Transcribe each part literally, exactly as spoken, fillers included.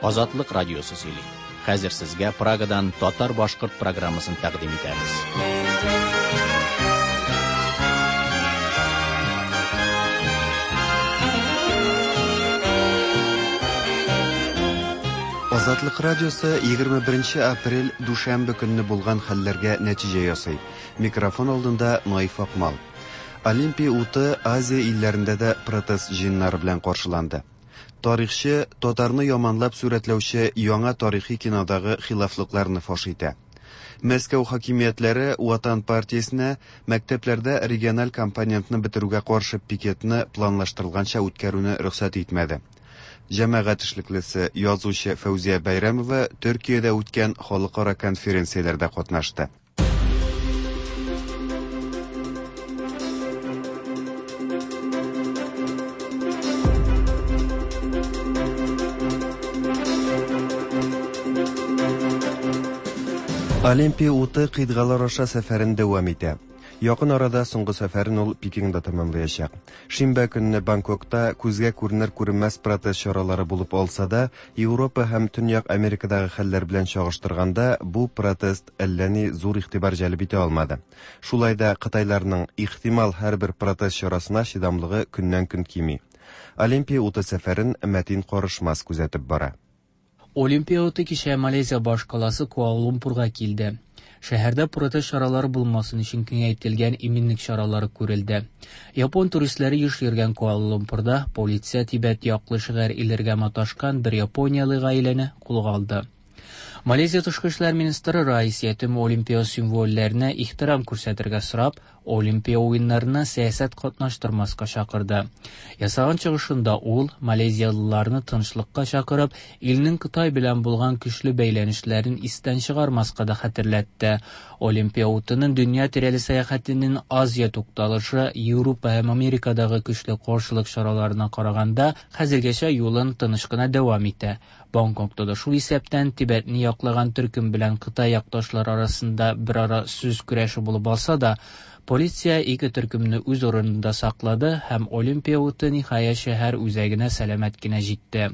Азатлык радиосы сөйли. Хәзер сезгә Прагадан татар-башкорт программасын тәкъдим итәбез. Азатлык радиосы егерме беренче апрель дүшәмбе көнне булган хәлләргә нәтиҗә ясый. Микрофон алдында Наиф Акмал. Олимпия уты Азия илләрендә дә протест җыеннары белән каршыланды. Тарихчы татарны яманлап сурәтләүче яңа тарихи кинодагы хилафлыкларны фаш итә. Мәскәү хакимиятләре Ватан партиясенә мәктәпләрдә региональ компонентны бетерүгә каршы пикетны планлаштырылганча үткәрүне рөхсәт итмәде. Җәмәгать эшлеклесе язучы Фәүзия Бәйрәмова Төркиядә үткән халыкара конференцияләрдә катнашты. Олимпия уты кыйтгалар аша сәфәрен дәвам итә. Якын арада соңгы сәфәрен ул Пекинда тәмамлаячак. Шимбә көнне Бангкокта күзгә күренер күренмәс протест чаралары булып алса да, Европа һәм Төньяк Америкадагы хәлләр белән чагыштырганда бу протест әллә ни зур игътибар җәлеп итә алмады. Шулай да кытайларның ихтимал һәрбер протест чарасына чыдамлыгы көннән-көн кими. Олимпия уты сәфәрен Мәтин Карышмас күзәтеп бара. Олимпия уты кичә Малайзия башкаласы Куала-Лумпурга килде. Шәһәрдә протест чаралары булмасын өчен киңәйтелгән иминлек чаралары күрелде. Япон туристлары еш йөргән Куала-Лумпурда полиция Тибет яклы шигырь илергә маташкан бер япониялы гаиләне кулга алды. Малайзия тышкы эшләр министры Раис Ятим Олимпия символларына ихтирам күрсәтергә сорап, Олимпия уеннарына сәясәт катнаштырмаска чакырды. Ясаган чыгышында ул малайзиялыларны тынычлыкка чакырып, илнең Кытай белән булган көчле бәйләнешләрен истән чыгармаска да хәтерләтте. Олимпия утының дөнья тирәли сәяхәтенең Азия тукталышы Европа һәм Америкадагы көчле каршылык чараларына караганда хәзергәчә юлын тыныч кына дәвам итә. Бангкокта да шул исәптән Тибетне яклаган төркем белән Кытай якташлары арасында бер ара сүз көрәше булып алса да, полиция ике төркемне үз урынында саклады һәм Олимпия уты ниһаять шәһәр үзәгенә сәламәт кенә җитте.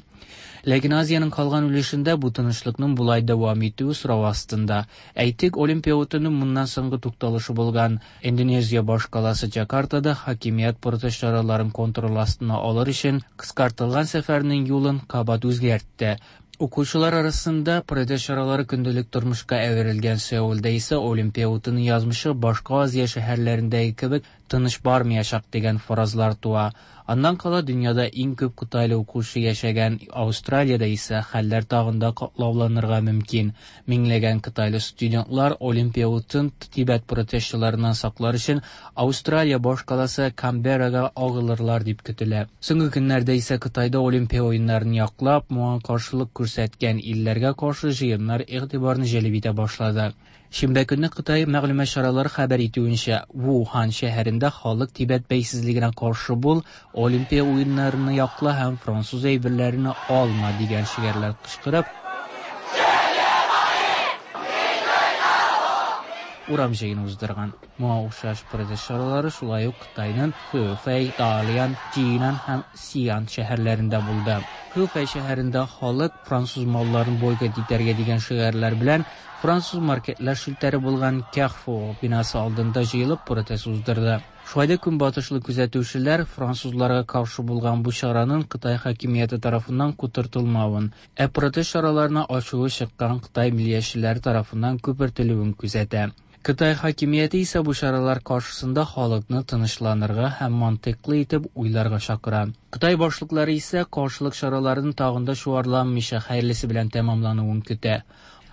Ләкин Азиянең калган өлешендә бу тынычлыкның болай дәвам итүе сорау астында. Әйтик, Олимпия утының моннан соңгы тукталышы булган Индонезия башкаласы Джакартада хакимият протест чараларын контроль астына алыр өчен кыскартылган сәфәрнең юлын кабат үзгәртте. Укучылар арасында протест чаралары көндәлек тормышка әверелгән Сеулдә исә Олимпия утының язмышы башка Азия шәһәрләрендәге кебек тыныч бармаячак дигән фаразлар туа. Аннан кала дөньяда иң күп кытайлы укучы яшәгән Австралиядә исә хәлләр тагын да катлауланырга мөмкин. Миңләгән кытайлы студентлар Олимпия утын Тибет протестчыларыннан саклар өчен Австралия башкаласы Канберрага агылырлар дип көтелә. Соңгы көннәрдә исә Кытайда Олимпия уеннарын яклап, моңа каршылык күрсәткән илләргә каршы җыеннар игътибарны җәлеп итә башлады. Шимбә көнне Кытай мәгълүмат чаралары хәбәр итүенчә, Вухан шәһәрендә халык Тибет бәйсезлегенә каршы бул, Олимпия уеннарını якла һәм француз әйберләрен алма дигән шигарлар кычкырып, урам җыены уздырган. Моңа охшаш протест чаралары шулай ук Кытайның Хэфэй, Далян, Джинан һәм Сиан шәһәрләрендә булды. Хэфэй шәһәрендә халык француз малларын бойкот итәргә дигән шигарлар белән француз маркетлар челтәре булган Carrefour бинасы алдында җыелып протест уздырды. Шулай да көнбатышлы күзәтүчеләр французларга каршы булган бу чараның Кытай хакимияте тарафыннан котыртылмавын, ә протест чараларына ачуы чыккан Кытай миллиятчеләре тарафыннан күпертелүен күзәтә. Кытай хакимияте исә бу чаралар каршысында халыкны тынычланырга һәм мантыйклы итеп уйларга чакыра. Кытай башлыклары исә каршылык чараларын тагын да чуарланмыйча хәерлесе белән тәмамлануын көтә.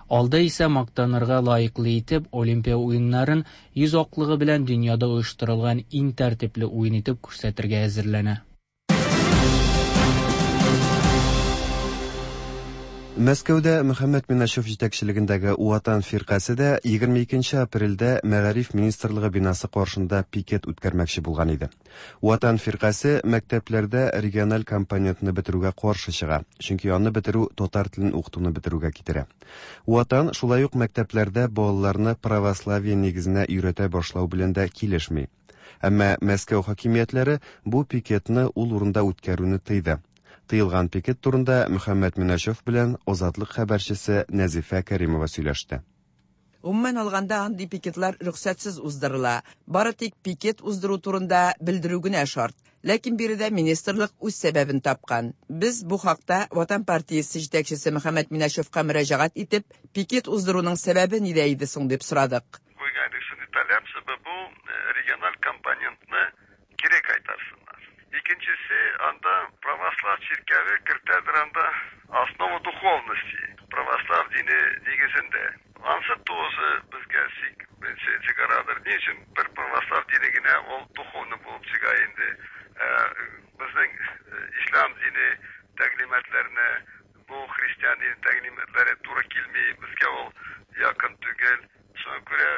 Алда исә мактанырга лаеклы итеп Олимпия уеннарын йөз аклыгы белән дөньяда оештырылган иң тәртипле уен итеп күрсәтергә әзерләнә. Мәскәүдә Мөхәммәд Миначев җитәкчелегендәге Ватан фиркасе дә егерме икенче апрельдә Мәгариф министрлыгы бинасы каршында пикет үткәрмәкче булган иде. Ватан фиркасе мәктәпләрдә региональ компонентны бетерүгә каршы чыга, чөнки аны бетерү татар телен укытуны бетерүгә китерә. Ватан шулай ук мәктәпләрдә балаларны православие нигезенә өйрәтә башлау белән дә килешми. Әмма Мәскәү хакимиятләре бу пикетны ул урында үткәрүне тыйды. Тыелган пикет турында Мөхәммәт Миначев белән Азатлык хәбәрчесе Нәзифә Кәримова сөйләште. Гомумән алганда, андый пикетлар рөхсәтсез уздырыла. Бары тик пикет уздыру турында белдерү генә шарт. Ләкин биредә министрлык үз сәбәбен тапкан. Без бу хакта Ватан партиясе җитәкчесе Мөхәммәт Миначевка мөрәҗәгать итеп, пикет уздыруның сәбәбе нидә иде соң дип сорадык. Куйган шундый таләп, бу региональ компонентны кире кайтарсыннар. Икенчесе, анда православ чиркәве кертәдер анда основу духовности, православ дине нигезендә. Ансы тоже безгә чыгарадыр. Ни өчен бер православ дине генә ул духовный булып чыга инде? Безнең ислам дине тәгълиматларына бу христиан дине тәгълиматлары туры килми, безгә ул якын түгел. Шуңа күрә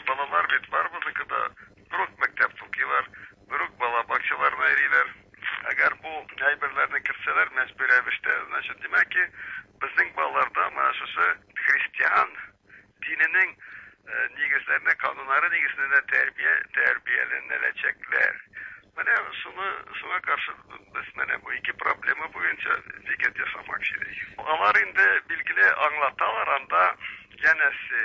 балалар бит бар безнекедә, бер үк мәктәп укыйлар, бер үк бала бакчаларына йөриләр. Әгәр бу әйберләрне кертсәләр, мәҗбүри рәвештә, значит, димәк ки, безнең балаларда менә шушы христиан диненең нигезләренә, кануннары нигезендә тәрбия тәрбияләнәчәкләр. Менә шуны шуңа каршы без менә бу ике проблема буенча пикет ясамакчы идек. Алар инде билгеле аңлаталар анда, янәсе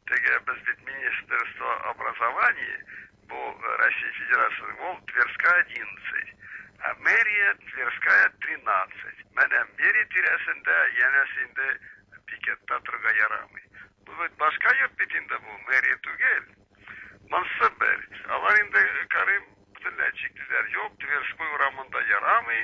теге без бит Министерство образования бу Россия Федерациясенең ул Тверская одиннадцать, а мэрия Тверская тринадцать. Менә мэрия тирәсендә янәсе инде пикетта торырга ярамый. Бу бит башка йорт бит инде, бу мэрия түгел. Монысы бер. Алар инде карыйм бөтенләй чиклиләр. Юк, Тверской урамында ярамый.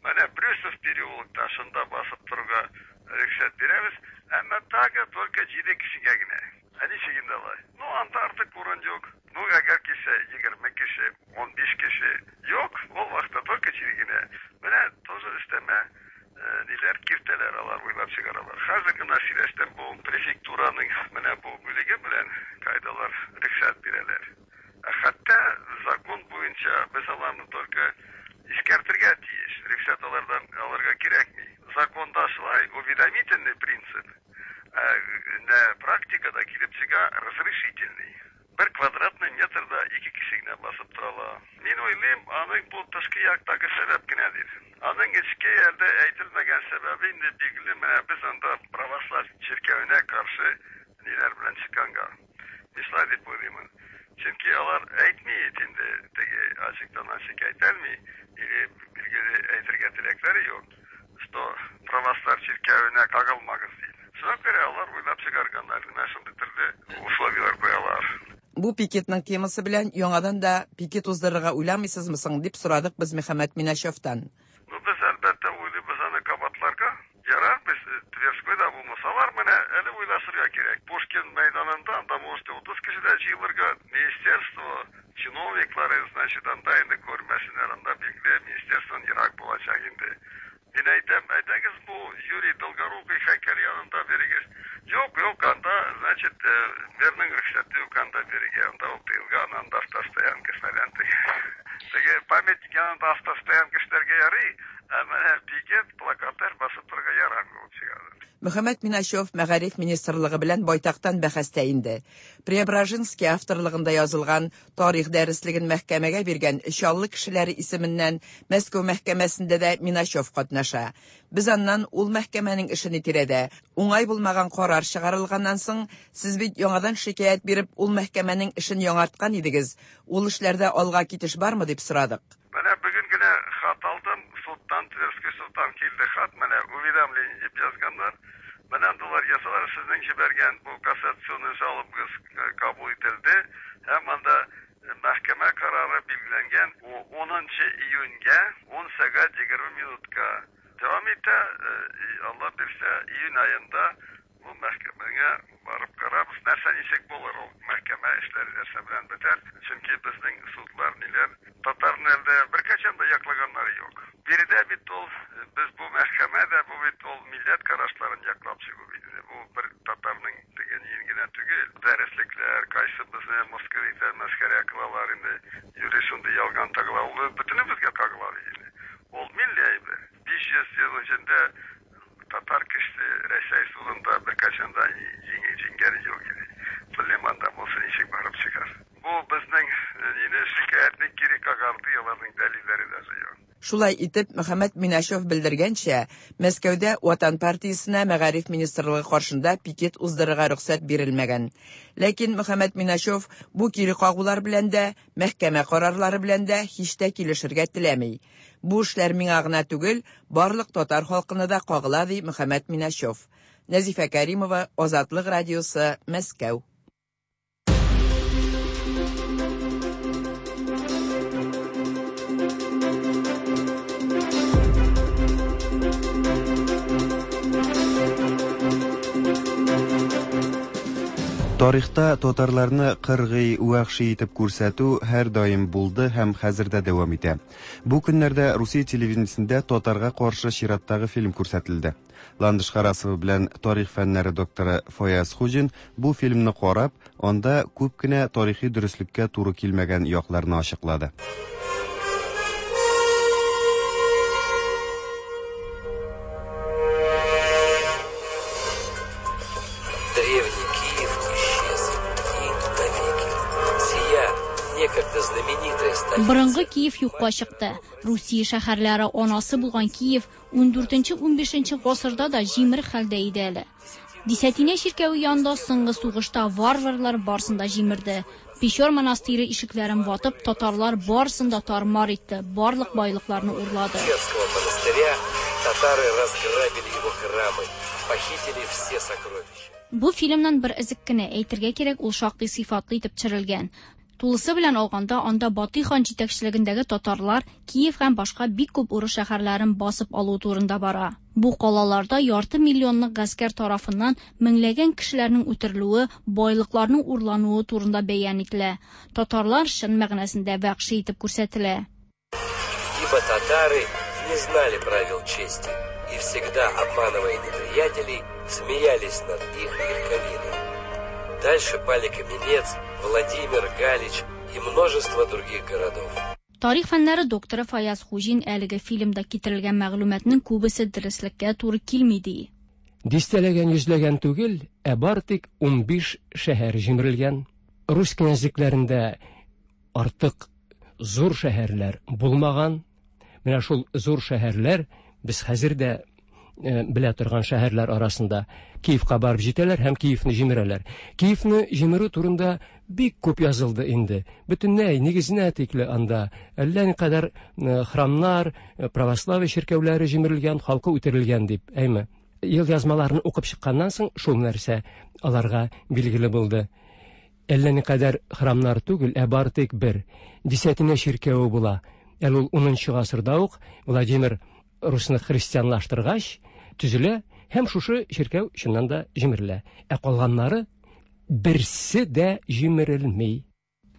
Менә Брюсов переулокта шунда басып торырга рөхсәт бирәбез. Әмма тагы только җиде кешегә генә. Ә ничек инде алай? Ну, анда артык урын юк. Ну, әгәр килсә егерме кеше, ун биш кеше. Юк, ул вакытта только җиде генә. Менә тоже өстәмә ниләр киртәләр алар уйлап чыгаралар. Хәзер генә сөйләштем бу префектураның менә бу бүлеге белән, кайдалар рөхсәт бирәләр. Хәтта закон буенча без аларны только искәртергә тиеш. Рөхсәт алардан алырга кирәкми. Законда шулай уведомительный принцип, ә практикада килеп чыга разрешительный. Бер квадратный метрда ике кеше генә басып тора ала. Мин уйлыйм, аның бу тышкы яктагы сәбәп генәдер. Аның эчке әлдә әйтелмәгән сәбәбе инде билгеле, менә без анда православ чиркәвенә каршы ниләр белән чыкканга. Мин шулай дип уйлыймын. Чөнки алар әйтми инде, теге ачыктан ачык әйтәлми, или билгеле әйтергә теләкләре юк, что православ чиркәвенә кагылмагыз дип. Шуңа күрә алар уйлап чыгарганнар, менә шундый төрле условияләр куялар. Бу пикетның темасы белән яңадан да пикет уздырырга уйламыйсызмы соң дип сорадык без Мөхәммәт Миначевтан. Ну, без әлбәттә уйлыйбыз аны кабатларга. Ярар, без Тверскойда булмасалар, менә әле уйлашырга кирәк. Пушкин мәйданында анда может утыз кеше дә җыелырга, министерство, чиновниклары, значит, анда инде күрмәсеннәр, анда билгеле министерстводан ерак булачак инде. Мин әйтәм, әйдәгез бу Юрий Долгорукий һәйкәл янында бирегез. Юк, юк, анда, значит, мэрның рөхсәте юк анда бирегә, анда ул тыелган, анда автостоянка фәлән. Теге памятник янында автостоянка эшләргә ярый, ә менә пикет, плакатлар басып торырга ярамый булып чыгадыр. Мөхәммәт Миначев Мәгариф министрлыгы белән байтактан бәхәстә инде. Преображенский авторлыгында язылган тарих дәреслеген мәхкәмәгә биргән Чаллы кешеләре исеменнән Мәскәү мәхкәмәсендә дә Миначев катнаша. Без аннан ул мәхкәмәнең эшен тирәдә уңай булмаган карар чыгарылганнан соң, сез бит яңадан шикаять биреп ул мәхкәмәнең эшен яңарткан идегез. Ул эшләрдә алга китеш бармы дип сорадык. Менә бүген генә хат алдым, судтан, Тверской судтан килде хат, менә уведомление дип язганнар. Менә андалар язалар, сезнең җибәргән бу кассационный жалобагыз кабул ителде һәм анда мәхкәмә карары билгеләнгән унынчы июньгә ун сәгать егерме минутка дәвам итә. Алла бирсә, июнь аенда бу мәхкәмәгә барып карабыз, нәрсә ничек булыр ул мәхкәмә эшләре нәрсә белән бетәр. Чөнки безнең судлар ниләр татарны әлдә беркайчан да яклаганнары юк. Биредә бит ул без бу мәхкәмәдә бу бит ул милләт карашларын яклап чыгу бит. Бу бер татарның дигән генә түгел. Дәреслекләр, кайсы безне мыскыл итә, мәсхәрә кылалар инде. Юри шундый ялган тагыла, ул бөтенебезгә кагыла инде. Ул милли әйбер. биш йөз ел эчендә татар кешесе Рәсәй судында беркайчан да җиңгәне юк иде. Белмим, анда булса ничек барып чыгар. Бу безнең нине шикаятьне кире кагарды, аларның дәлилләре даже юк. Шулай итеп, Мөхәммәт Миначев белдергәнчә, Мәскәүдә Ватан партиясенә Мәгариф министрлыгы каршында пикет уздырырга рөхсәт бирелмәгән. Ләкин Мөхәммәт Миначев бу кире кагулар белән дә, мәхкәмә карарлары белән дә һич тә килешергә теләми. Бу эшләр миңа гына түгел, барлык татар халкына да кагыла, ди Мөхәммәт Миначев. Нәзифә Кәримова, Азатлык радиосы, Мәскәү. Тарихта татарларны кыргый, вәхши итеп күрсәтү һәр даим булды һәм хәзер дә дәвам итә. Бу көннәрдә Русия телевидениесендә татарга каршы чираттагы фильм күрсәтелде. Ландыш Харасова белән тарих фәннәре докторы Фаяз Хуҗин бу фильмны карап, анда күп кенә тарихи дөреслеккә туры килмәгән якларны ачыклады. Борынгы Киев юкка чыкты. Русия шәһәрләре анасы булган Киев ун дүртенче ун бишенче гасырда да җимерек хәлдә иде әле. Десятина чиркәве янында соңгы сугышта варварлар барсын да җимерде. Печор монастыре ишекләрен ватып, татарлар барсын да тармар итте, барлык байлыкларны урлады. Монастыря татары разграбили его храмы, похитили все сокровища. Бу фильмнан бер эзек кенә әйтергә кирәк, ул шактый сыйфатлы итеп төшерелгән. Тулысы белән алганда, анда Батый хан җитәкчелегендәге татарлар Киев һәм башка бик күп урыс шәһәрләрен басып алу турында бара. Бу калаларда ярты миллионлык гаскәр тарафыннан меңләгән кешеләрнең үтерелүе, байлыкларның урлануы турында бәян ителә. Татарлар чын мәгънәсендә вәхши итеп күрсәтелә. Ибо татары не знали правил чести и всегда, обманывая неприятелей, смеялись над их легковиной. Дальше пали Каменец, Владимир, Галич и множество других городов. Тарих фәннәре докторы Фаяз Хуҗин әлеге фильмда китерелгән мәгълүматның күбесе дөреслеккә туры килми ди. Дистәләгән, йөзләгән түгел, ә бар тик ун биш шәһәр җимерелгән. Рус князьлекләрендә артык зур шәһәрләр булмаган. Менә шул зур шәһәрләр без хәзер дә белә торган шәһәрләр арасында Киевка барып җитәләр һәм Киевны җимерәләр. Киевны җимерү турында бик күп язылды инде. Бөтенләй нигезенә тикле анда әллә никадәр храмнар, православие чиркәүләре җимерелгән, халкы үтерелгән дип, әйме. Ел язмаларын укып чыкканнан соң шул нәрсә аларга билгеле булды. Әллә никадәр храмнар түгел, ә бар тик бер десятина чиркәве була. Әле ул унынчы гасырда ук Владимир Русны христианлаштыргач төзелә һәм шушы чиркәү чыннан да җимерелә. Ә калганнары берсе дә җимерелми.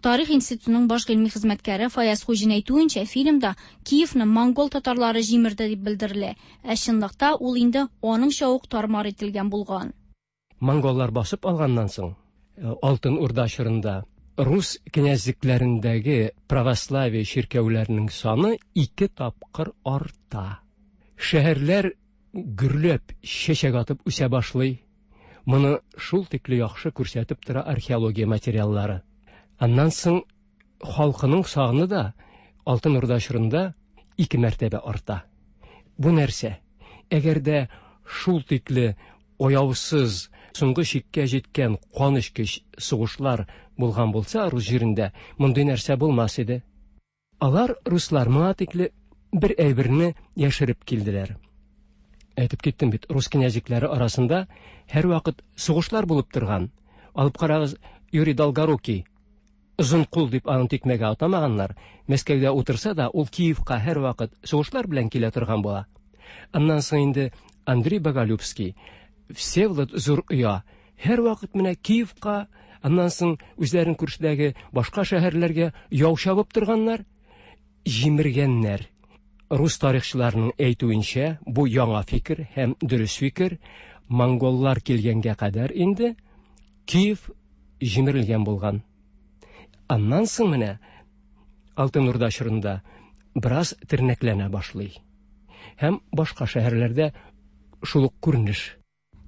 Тарих институтының баш гыйльми хезмәткәре Фаяз Хуҗин әйтүенчә, фильмда Киевны монгол татарлары җимерде дип белдерелә. Ә чынлыкта ул инде аныңча ук тармар ителгән булган. Монголлар басып алганнан соң, Алтын Урда чорында рус князьлекләрендәге православие чиркәүләренең саны ике тапкыр арта. Шәһәрләр гөрләп чәчәк атып үсә башлый. Моны шул тикле яхшы күрсәтеп тора археология материаллары. Аннан соң халкының саны да Алтын Урда чорында ике мәртәбә арта. Бу нәрсә? Әгәр дә шул тикле аяусыз, соңгы чиккә җиткән канэчкеч сугышлар булган булса рус җирендә, мондый нәрсә булмас иде. Алар, руслар, моңа тикле бер әйберне яшереп килделәр. Әйтеп киттем бит, рус князьлекләре арасында һәр вакыт сугышлар булып торган. Алып карагыз, Юрий Долгорукий озын кул дип аны тикмәгә атамаганнар. Мәскәүдә утырса да, ул Киевка һәр вакыт сугышлар белән килә торган була. Аннан соң инде Андрей Боголюбский, Всеволод Зур Оя һәр вакыт менә Киевка, аннан соң үзләрен күршедәге башка шәһәрләргә яу чабып торганнар, җимергәннәр. Рус тарихчыларының әйтүенчә, бу яңа фикер һәм дөрес фикер, монголлар килгәнгә кадәр инде Киев җимерелгән булган. Аннан соң менә Алтын Урда чорында бераз тернәкләнә башлый. Һәм башка шәһәрләрдә шул ук күренеш.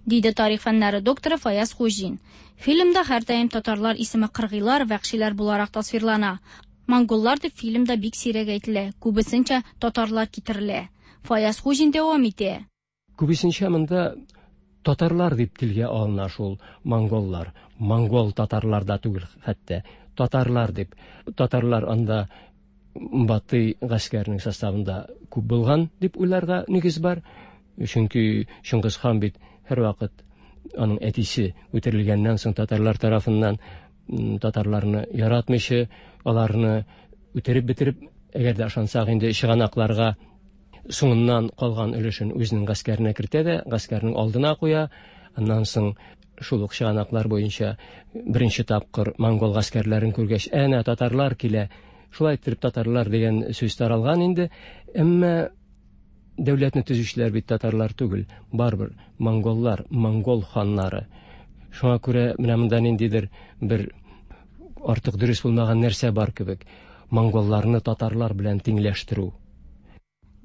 Диде тарих фәннәре докторы Фаяз Хуҗин. Фильмда һәрдаим татарлар исеме кыргыйлар, вәхшиләр буларак тасвирлана. Монголлар дип фильмда бик сирәк әйтелә, күбесенчә татарлар китерелә. Фаяз Хуҗин дәвам итә. Күбесенчә монда татарлар дип телгә алына шул монголлар. Монгол татарлар да түгел хәтта, татарлар дип. Татарлар анда Батый гаскәренең составында күп булган дип уйларга нигез бар. Чөнки Чыңгыз хан бит һәрвакыт аның әтисе үтерелгәннән соң татарлар тарафыннан татарларны яратмыйча, аларны үтереп бетереп, әгәр дә ышансак инде чыганакларга, соңыннан калган өлешен үзенең гаскәренә кертә дә, гаскәрнең алдына куя. Аннан соң шул ук чыганаклар буенча беренче тапкыр монгол гаскәрләрен күргәч, әнә татарлар килә, шулай иттереп татарлар дигән сүз таралган инде. Әмма дәүләтне төзүчеләр бит татарлар түгел, барыбер монголлар, монгол ханнары. Шуңа күрә менә монда ниндидер бер артык дөрес булмаган нәрсә бар кебек. Монголларны татарлар белән тиңләштерү.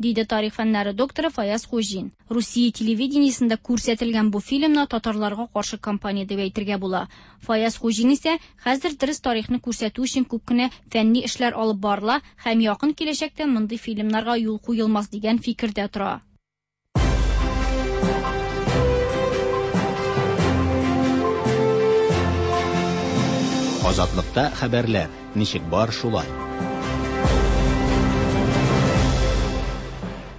Диде тарих фәннәре докторы Фаяз Хуҗин. Русия телевидениесендә күрсәтелгән бу фильмны татарларга каршы кампания дип әйтергә була. Фаяз Хуҗин исә хәзер дөрес тарихны күрсәтү өчен күп кенә фәнни эшләр алып барыла һәм якын киләчәктә мондый фильмнарга юл куелмас дигән фикердә тора. Азатлыкта хәбәрләр ничек бар шулай.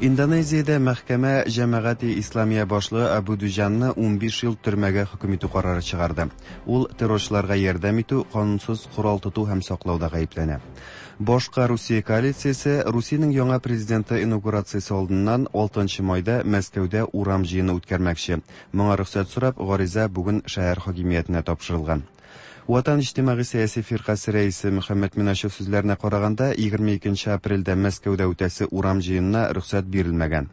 Индонезиядә мәхкәмә Җәмәгате Исламия башлыгы Абу Дуҗанны унбиш ел төрмәгә хөкем итү карары чыгарды. Ул террорчыларга ярдәм итү, канунсыз корал тоту һәм саклауда гаепләнә. Башка Русия коалициясе Русиянең яңа президенты инаугурациясе алдыннан алтынчы майда Мәскәүдә урам җыены үткәрмәкче. Моңа рөхсәт сорап, гариза бүген шәһәр хакимиятенә тапшырылган. Ватан иҗтимагый сәяси фиркасе рәисе Мөхәммәд Минашев сүзләренә караганда, егерме икенче апрельдә Мәскәүдә үтәсе урам җыенына рөхсәт бирелмәгән.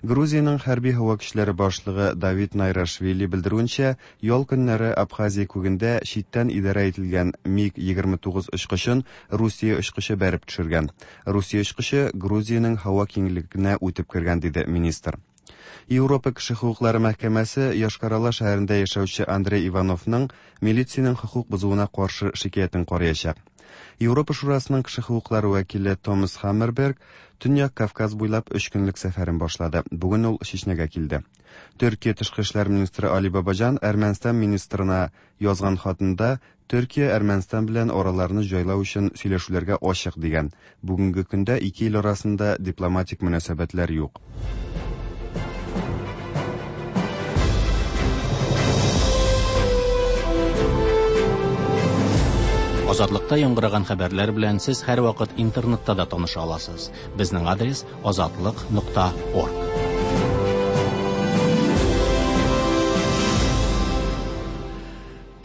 Грузиянең хәрби һава көчләре башлыгы Давид Найрашвили белдерүенчә, ял көннәре Абхазия күгендә читтән идарә ителгән МиГ егерме тугыз очкычын Русия очкычы бәреп төшергән. Русия очкычы Грузиянең һава киңлегенә үтеп кергән, диде министр. Европа кеше хокуклары мәхкәмәсе Йошкар-Ола шәһәрендә яшәүче Андрей Ивановның милициянең хокук бозуына каршы шикаятен караячак. Европа Шурасының кеше хокуклары вәкиле Томас Хаммерберг Төньяк Кавказ буйлап өч көнлек сәфәрен башлады. Бүген ул Чечнягә килде. Төркия тышкы эшләр министры Али Бабаҗан Әрмәнстан министрына язган хатында Төркия Әрмәнстан белән араларны җайлау өчен сөйләшүләргә ачык дигән. Бүгенге көндә ике ил арасында дипломатик мөнәсәбәтләр юк. Азатлыкта яңгыраган хәбәрләр белән сез һәрвакыт интернетта да таныша аласыз. Безнең адрес азатлык нокта орг.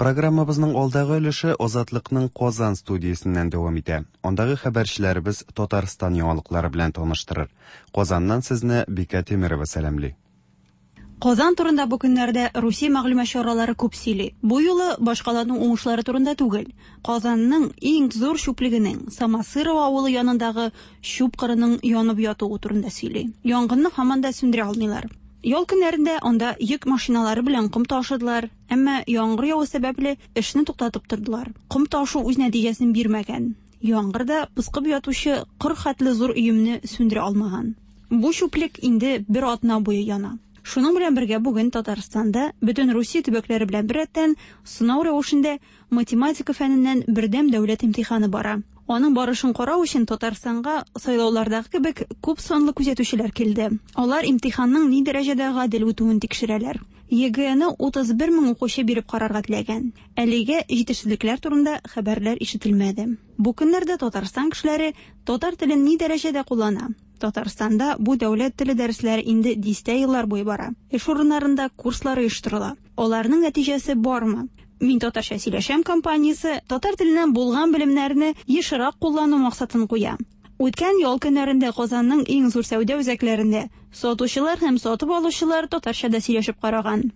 Программабызның алдагы өлеше Азатлыкның Казан студиясеннән дәвам итә. Андагы хәбәрчеләребез Татарстан яңалыклары белән таныштырыр. Казаннан сезне Бикә Тимирова сәламли. Казан турында бу көннәрдә Русия мәгълүмат чаралары күп сөйли. Бу юлы башкаланың уңышлары турында түгел. Казанның иң зур чүплегенең Самосырова авылы янындагы чүп кырының янып ятуы турында сөйли. Янгынны һаман да сүндерә алмыйлар. Ял көннәрендә анда йөк машиналары белән ком ташыдылар, әмма яңгыр яву сәбәпле эшне туктатып тордылар. Ком ташу үз нәтиҗәсен бирмәгән. Яңгыр да пыскып ятучы кыр хәтле зур өемне сүндерә алмаган. Бу чүплек инде бер атна буе яна. Шуның белән бергә бүген Татарстанда бөтен Русия төбәкләре белән беррәттән сынау рәвешендә математика фәненнән бердәм дәүләт имтиханы бара. Аның барышын карау өчен Татарстанга сайлаулардагы кебек күп санлы күзәтүчеләр килде. Алар имтиханның ни дәрәҗәдә гадел үтүен тикшерәләр. ЕГЭны утыз бер мең укучы биреп карарга теләгән. Әлегә җитешсезлекләр турында хәбәрләр ишетелмәде. Бу көннәрдә Татарстан кешеләре татар телен ни дәрәҗәдә куллана? Татарстанда бу дәүләт теле дәресләре инде дистә еллар буе бара. Эш урыннарында курслар оештырыла. Аларның нәтиҗәсе бармы? Мин татарча сөйләшәм компаниясе татар теленнән булган белемнәрне ешрак куллану максатын куя. Үткән ял көннәрендә Казанның иң зур сәүдә үзәкләрендә сатучылар һәм сатып алучылар татарча да сөйләшеп караган.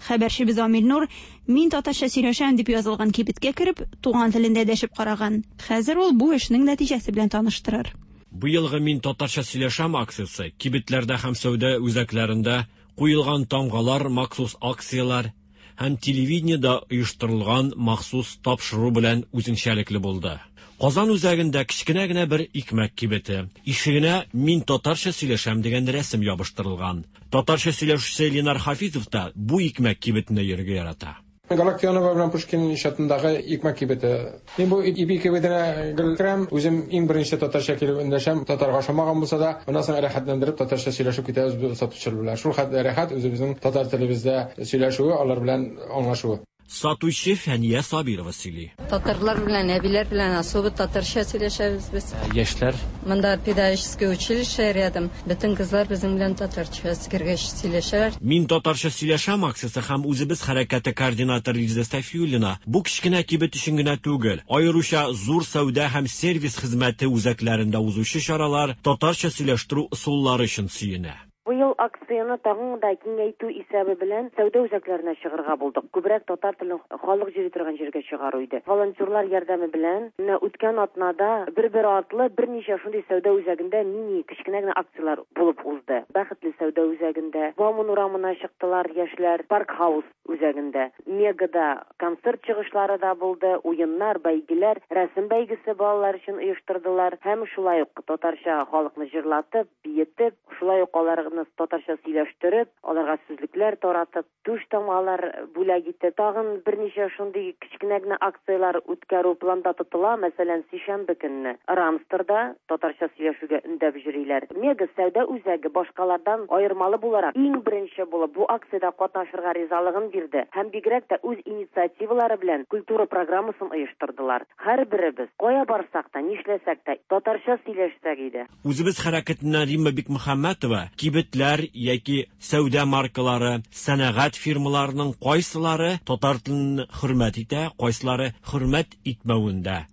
Хәбәрчебез Амил Нур «Мин татарча сөйләшәм» дип язылган кибеткә кереп, туган телендә дәшеп караган. Хәзер ул бу эшнең нәтиҗәсе белән таныштырыр. Бу елгы «Мин татарча сөйләшәм» акциясе кибетләрдә һәм сәүдә үзәкләрендә куелган тамгалар, махсус акцияләр һәм телевидениедә оештырылган махсус тапшыру белән үзенчәлекле булды. Казан үзәгендә кечкенә генә бер икмәк кибете. Ишегенә «Мин татарча сөйләшәм» дигән рәсем ябыштырылган. Татарча сөйләшүче Ленар Хафизов та бу икмәк кибетенә йөрергә ярата. Галактионова белән Пушкин иҗатындагы икмәк кибете. Мин бу ипи кибетенә гел керәм, үзем иң беренче татарча килеп эндәшәм, татарга ошамаган булса да, аннан соң рәхәтләндереп татарча сөйләшеп китәбез без сатучылар белән. Шул хәтле рәхәт үзебезнең татар телебездә сөйләшүе, алар белән аңлашуы. Сатучы Фәния Сабирова сөйли. Татарлар белән, әбиләр белән особо татарча сөйләшәбез без. Яшьләр? Монда педагогическое училище рядом. Бөтен кызлар безнең белән татарча кергәч сөйләшәләр. Мин татарча сөйләшәм акциясе һәм үзебез хәрәкәте координаторы Лиза Сафиуллина бу кечкенә кибет өчен генә түгел, аеруча зур сәүдә һәм сервис хезмәте үзәкләрендә узучы чаралар татарча сөйләштерү ысуллары өчен сөенә. Быел акцияне тагын да киңәйтү исәбе белән сәүдә үзәкләренә чыгарга булдык. Күбрәк татар телен халык йөри торган җиргә чыгару иде. Волонтерлар ярдәме белән менә үткән атнада бер-бер артлы берничә шундый сәүдә үзәгендә мини кечкенә генә акцияләр булып узды. Бәхетле сәүдә үзәгендә, Бауман урамына чыктылар яшьләр, Парк Хаус үзәгендә, Мегада концерт чыгышлары да булды, уеннар, бәйгеләр, рәсем бәйгесе балалар өчен оештырдылар һәм шулай ук татарча халыкны җырлатып, биетеп, шулай ук аларны татарча сөйләштереп, аларга сүзлекләр таратып, түш тамгалар бүләк итте. Тагын берничә шундый кечкенә генә акцияләр үткәрү планда тотыла. Мәсәлән, сишәмбе көнне Рамстерда татарча сөйләшүгә өндәп йөриләр. Мега сәүдә үзәге башкалардан аермалы буларак иң беренче булып бу акциядә катнашырга ризалыгын бирде һәм бигрәк тә үз инициативалары белән культура программасын оештырдылар. Һәрберебез кая барсак та, нишләсәк тә татарча сөйләшсәк иде. Үзебез хәрәкәтеннән Римма Бикмөхәммәтова кибетләр яки сәүдә маркалары, сәнәгать фирмаларының кайсылары татар телен хөрмәт итә, кайсылары хөрмәт итмәвен дә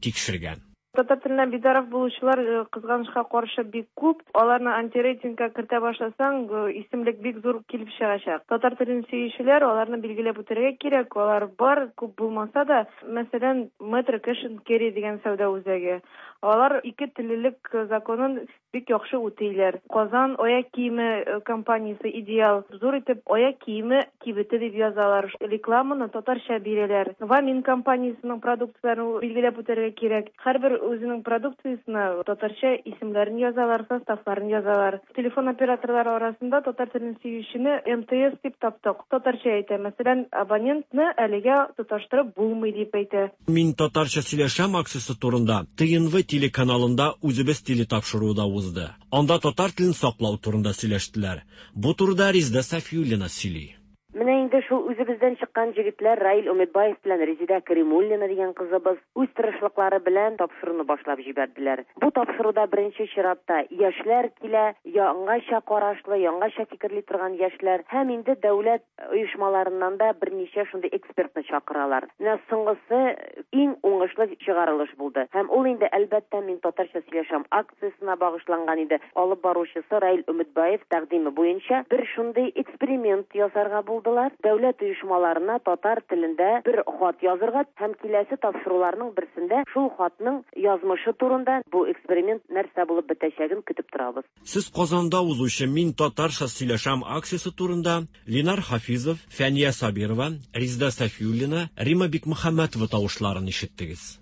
тикшергән. Татар теленә битараф булучылар кызганычка каршы бик күп. Аларны антирейтингка кертә башласаң, исемлек бик зур килеп чыгачак. Татар телен сөючеләр, аларны билгеләп үтәргә кирәк. Алар бар, күп булмаса да, мәсәлән, Metro Cash and Carry дигән сәүдә үзәге. Алар ике теллелек законын бик яхшы үтиләр. Казан аяк киеме компаниясе Идеал зур итеп аяк киеме кибете дип язалар. Рекламаны татарча бирәләр. Вамин компаниясенең продукцияләрен билгеләп үтәргә кирәк. Һәрбер үзенең продукциясенә татарча исемнәрен язалар, составларын язалар. Телефон операторлары арасында татар телен сөючене эм тэ эс дип таптык. Татарча әйтә. Мәсәлән, абонентны әлегә тоташтырып булмый дип әйтә. Мин татарча сөйләшәм акциясе турында тэ эн вэ телеканалында үзебез телетапшыруы да узды. Анда татар телен саклау турында сөйләштеләр. Бу турыда Резеда Сафиуллина сөйли. Менә инде шул үзебездән чыккан җегетләр Раил Үмитбаев белән Резеда Каримуллина дигән кызыбыз үз тырышлыклары белән тапшыруны башлап җибәрделәр. Бу тапшыруда беренче чиратта яшьләр килә, яңача карашлы, яңача фикерли торган яшьләр һәм инде дәүләт оешмаларыннан да берничә шундый экспертны чакыралар. Менә соңгысы иң уңышлы чыгарылыш булды. Һәм ул инде әлбәттә мин татарча сөйләшәм акциясенә багышланган иде. Алып баручысы Раил Үмитбаев тәкъдиме буенча бер шундый эксперимент ясарга булды. Дәүләт оешмаларына татар телендә бер хат язырга һәм киләсе тапшыруларның берсендә шул хатның язмышы турында бу эксперимент нәрсә булып бетәчәген көтеп торабыз. Сез Казанда узучы Мин татарча сөйләшәм акциясе турында Ленар Хафизов, Фәния Сабирова, Резеда Сафиуллина, Римма Бикмөхәммәтова тавышларын ишеттегез.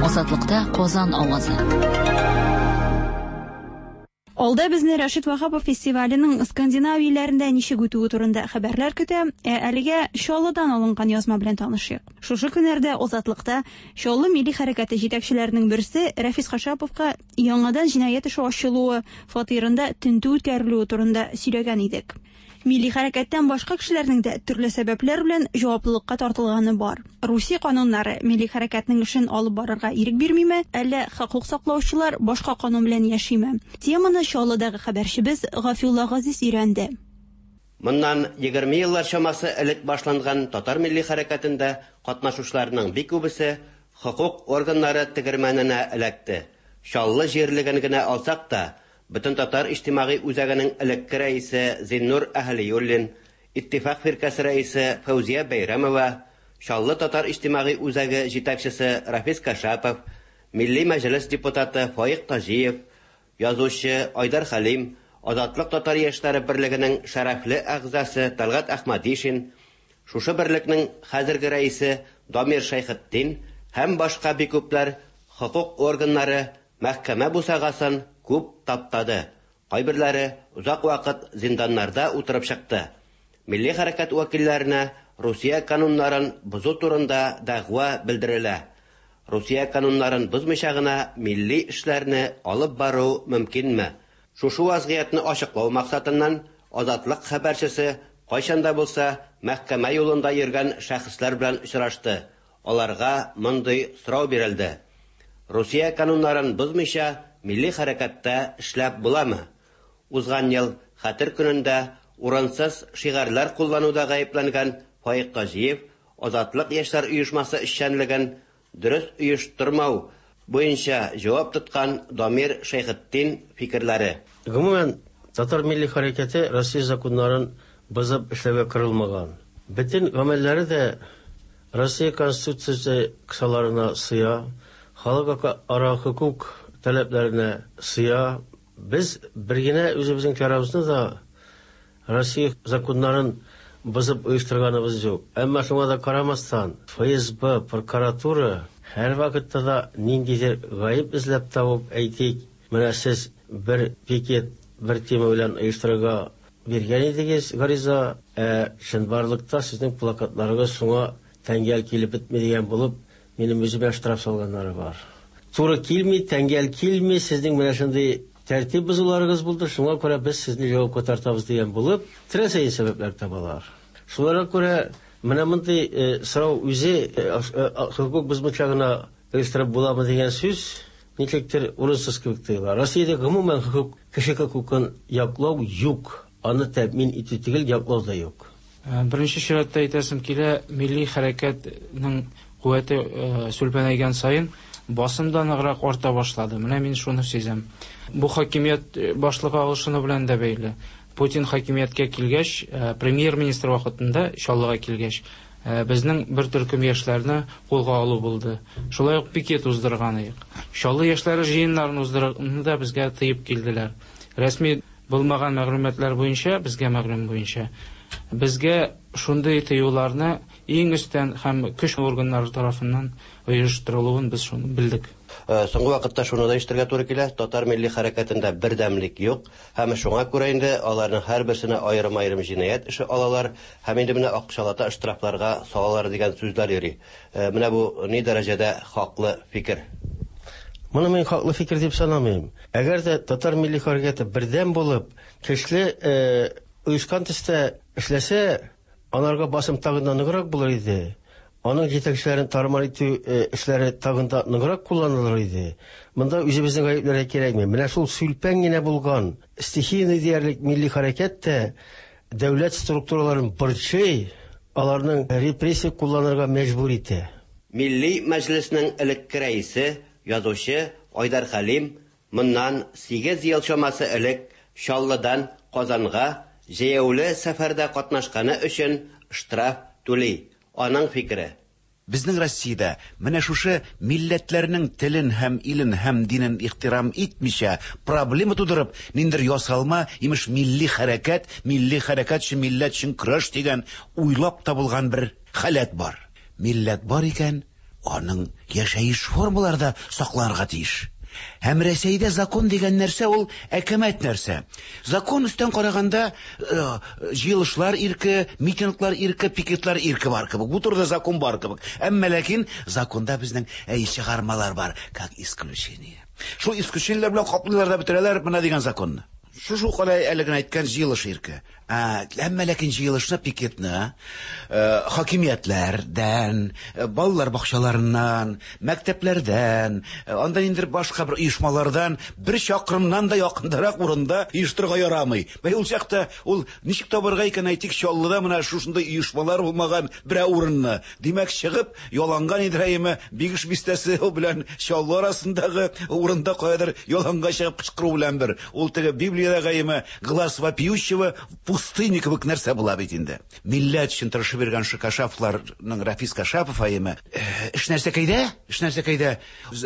Азатлыкта Казан авазы. Алда безне Рәшит Ваһапов фестиваленең Скандинавия илләрендә ничек үтүе турында хәбәрләр көтә. Ә әлегә Чаллыдан алынган язма белән танышыйк. Шушы көннәрдә Азатлыкта Чаллы милли хәрәкәте җитәкчеләренең берсе Рәфис Кашаповка яңадан җинаять эше ачылуы, фатирында тентү үткәрелүе турында сөйләгән идек. Милли хәрәкәттән башка кешеләрнең дә төрле сәбәпләр белән җаваплылыкка тартылганы бар. Русия кануннары милли хәрәкәтнең эшен алып барырга ирек бирмиме, әллә хокук саклаучылар башка канун белән яшиме? Теманы Чаллыдагы хәбәрчебез Гафиулла Газиз өйрәнде. Моннан егерме еллар чамасы элек башланган татар милли хәрәкәтендә катнашучыларның бик күбесе хокук органнары тегермәненә эләкте. Чаллы җирлеген генә алсак та, Бөтен татар иҗтимагый үзәгенең элекке рәисе Зиннур Әһлиуллин, Иттифак фиркәсе рәисе Фәүзия Бәйрәмова, Чаллы татар иҗтимагый үзәге җитәкчесе Рафис Кашапов, Милли мәҗлес депутаты Фаик Таҗиев, язучы Айдар Хәлим, Азатлык татар яшьләре берлегенең шәрәфле әгъзасы Талгат Әхмәдишин, шушы берлекнең хәзерге рәисе Дамир Шәйхетдин һәм башка бик күпләр Хокук органнары мәхкәмә бусагасын күп таптады. Кайберләре озак вакыт зинданнарда утырып чыкты. Милли хәрәкәт вәкилләренә Русия кануннарын бозу турында дәгъва белдерелә. Русия кануннарын бозмыйча гына милли эшләрне алып бару мөмкинме? Шушы вазгыятьне ачыклау максатыннан Азатлык хәбәрчесе кайчан да булса мәхкәмә юлында йөргән шәхесләр белән очрашты. Аларга мондый сорау бирелде. Русия кануннарын бозмыйча милли хәрәкәттә эшләп буламы? Узган ел Хәтер көнендә урынсыз шигарьләр куллануда гаепләнгән Фаик Таҗиев Азатлык яшьләр оешмасы эшчәнлеген дөрес оештырмау буенча җавап тоткан Дамир Шәйхетдин фикерләре. Гомумән, татар милли хәрәкәте Россия законнарын бозып эшләүгә корылмаган. Бөтен гамәлләре дә Россия Конституциясе кысаларына сыя, халыкара хокук таләпләренә сыя. Без бер генә үзебезнең чарабызны да Россия законнарын бозып оештырганыбыз юк. Әмма шуңа да карамастан, Эф Эс Бэ, прокуратура һәр вакытта да ниндидер гаеп эзләп табып, әйтик, менә сез бер пикет бер тема белән оештырырга биргән идегез гариза, ә чынбарлыкта сезнең плакатларыгыз шуңа тәңгәл килеп бетми дигән булып, минем үземә штраф салганнары бар. Туры килми, тәңгәл килми, сезнең менә шундый тәртип бозуларыгыз булды, шуңа күрә без сезне җавапка тартабыз дигән булып, теләсә сәбәпләр табалар. Шуларга күрә менә мондый э, сорау үзе э, э, хокук бозмыйча гына оештырып буламы дигән сүз ничектер урынсыз кебек тоела. Россиядә гомумән хокук, кеше хокукын яклау юк. Аны тәэмин итү түгел, яклау да юк. Беренче чиратта әйтәсем килә, милли хәрәкәтнең куәте сүлпәнәйгән саен басым да ныграк арта башлады. Менә мин шуны сизәм. Бу хакимият башлыгы алышыну белән дә бәйле. Путин хакимияткә килгәч, премьер-министр вакытында Чаллыга килгәч, безнең бер төркем яшьләрне кулга алу булды. Шулай ук пикет уздырган идек. Чаллы яшьләре җыеннарын уздыруны да безгә тыеп килделәр. Рәсми булмаган мәгълүматлар буенча, безгә мәгълүм буенча, безгә шундый тыюларны иң өстән һәм көч органнары тарафыннан оештырылуын без шуны белдек. Соңгы вакытта шуны да ишетергә туры килә, татар милли хәрәкәтендә бердәмлек юк, һәм шуңа күрә инде аларның һәрберсенә аерым-аерым җинаять эше алалар, һәм инде менә акчалата штрафларга салалар дигән сүзләр йөри. Менә бу ни дәрәҗәдә хаклы фикер? Моны мин хаклы фикер дип санамыйм. Әгәр дә татар милли хәрәкәте бердәм булып, көчле оешкан төстә эшләсә, аларга басым тагын да ныграк булыр иде. Аның җитәкчеләрен тармар итү эшләре тагын да ныграк кулланылыр иде. Монда үзебезнең гаепләргә кирәкми. Менә шул сүлпән генә булган стихийный диярлек милли хәрәкәт тә дәүләт структураларын борчый, аларның репрессия кулланырга мәҗбүр итә. Милли мәҗлеснең элекке рәисе, язучы Айдар Хәлим моннан сигез ел чамасы элек Чаллыдан Казанга җәяүле сәфәрдә катнашканы өчен штраф түли. Аның фикере: Безнең Россиядә менә шушы милләтләрнең телен һәм илен һәм динен ихтирам итмичә проблема тудырып, ниндер ясалма, имеш, милли хәрәкәт, милли хәрәкәт өчен, милләт өчен көрәш дигән уйлап табылган бер халәт бар. Милләт бар икән, аның яшәеш формалары да сакланырга тиеш. Һәм Рәсәйдә закон дигән нәрсә ул әкәмәт нәрсә. Закон өстән караганда җыелышлар ирке, митинглар ирке, пикетлар ирке бар кебек. Бу турыда закон бар кебек. Әмма ләкин законда безнең әй чыгармалар бар, как исключение. Шул исключениеләр белән каплыйлар да бетерәләр менә дигән законны. Шушы калай әле генә әйткән җыелыш ирке. Ә, әмма ләкин җыелышны, пикетны хакимиятләрдән, балалар бакчаларыннан, мәктәпләрдән, анда инде башка бер оешмалардан бер чакрымнан да якындарак урында оештырырга ярамый. Бәй ул чакта ул ничек табырга икән, әйтик, Чаллыда менә шушындай оешмалар булмаган берәр урынны. Димәк, чыгып яланга нидер Бигеш бистәсе белән Чаллы арасындагы урында каядыр яланга чыгып кычкыру белән бер. Ул теге Библиядәге глаз вопиющего пустыни кебек нәрсә була бит инде. Милләт өчен тырышып йөргән Кашаповларның Рафис Кашапов аемы. Эш нәрсә кәйдә? Эш нәрсә кәйдә?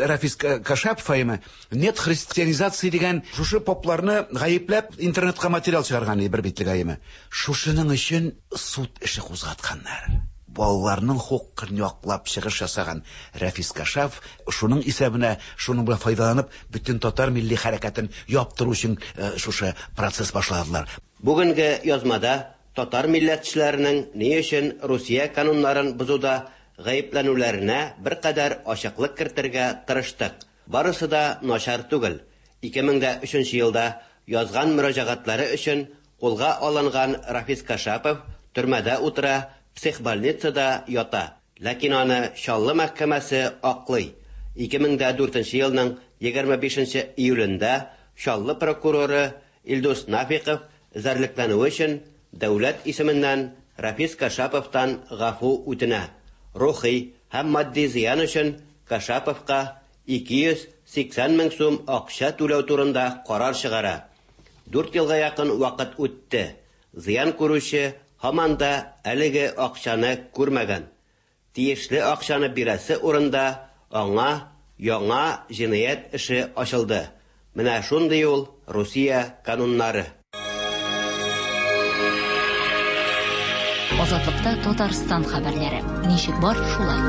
Рафис Кашапов аемы нет христианизации дигән шушы попларны гаепләп интернетка материал чыгарган бер битлек аемы. Шушының өчен суд эше кузгатканнар. балаларның хокукын яклап чыгыш ясаган Рафис Кашапов шуның исәбенә, шуның белән файдаланып, бөтен татар милли хәрәкәтен яптыру өчен шушы процесс башладылар. Бүгенге язмада татар милләтчеләренең ни өчен Русия кануннарын бозуда гаепләнүләренә беркадәр ачыклык кертергә тырыштык. Барысы да начар түгел. ике мең дә өченче елда язган мөрәҗәгатьләре өчен кулга алынган Рафис Кашапов төрмәдә утыра, психбольницада ята. Ләкин аны Чаллы мәхкәмәсе аклый. ике мең дә дүртенче елның егерме бишенче июлендә Чаллы прокуроры Илдус Нафиков эзәрлекләнүе өчен дәүләт исеменнән Рафис Кашаповтан гафу үтенә. Рухи һәм матди зыян өчен Кашаповка ике йөз сиксән мең сум акча түләү турында карар чыгара. Дүрт елга якын вакыт үтте. Зыян күрүче һаман да әлеге акчаны күрмәгән. Тиешле акчаны бирәсе урында аңа яңа җинаять эше ачылды. Менә шундый ул Русия кануннары. Азатлыкта Татарстан хәбәрләре. Ничек бар, шулай.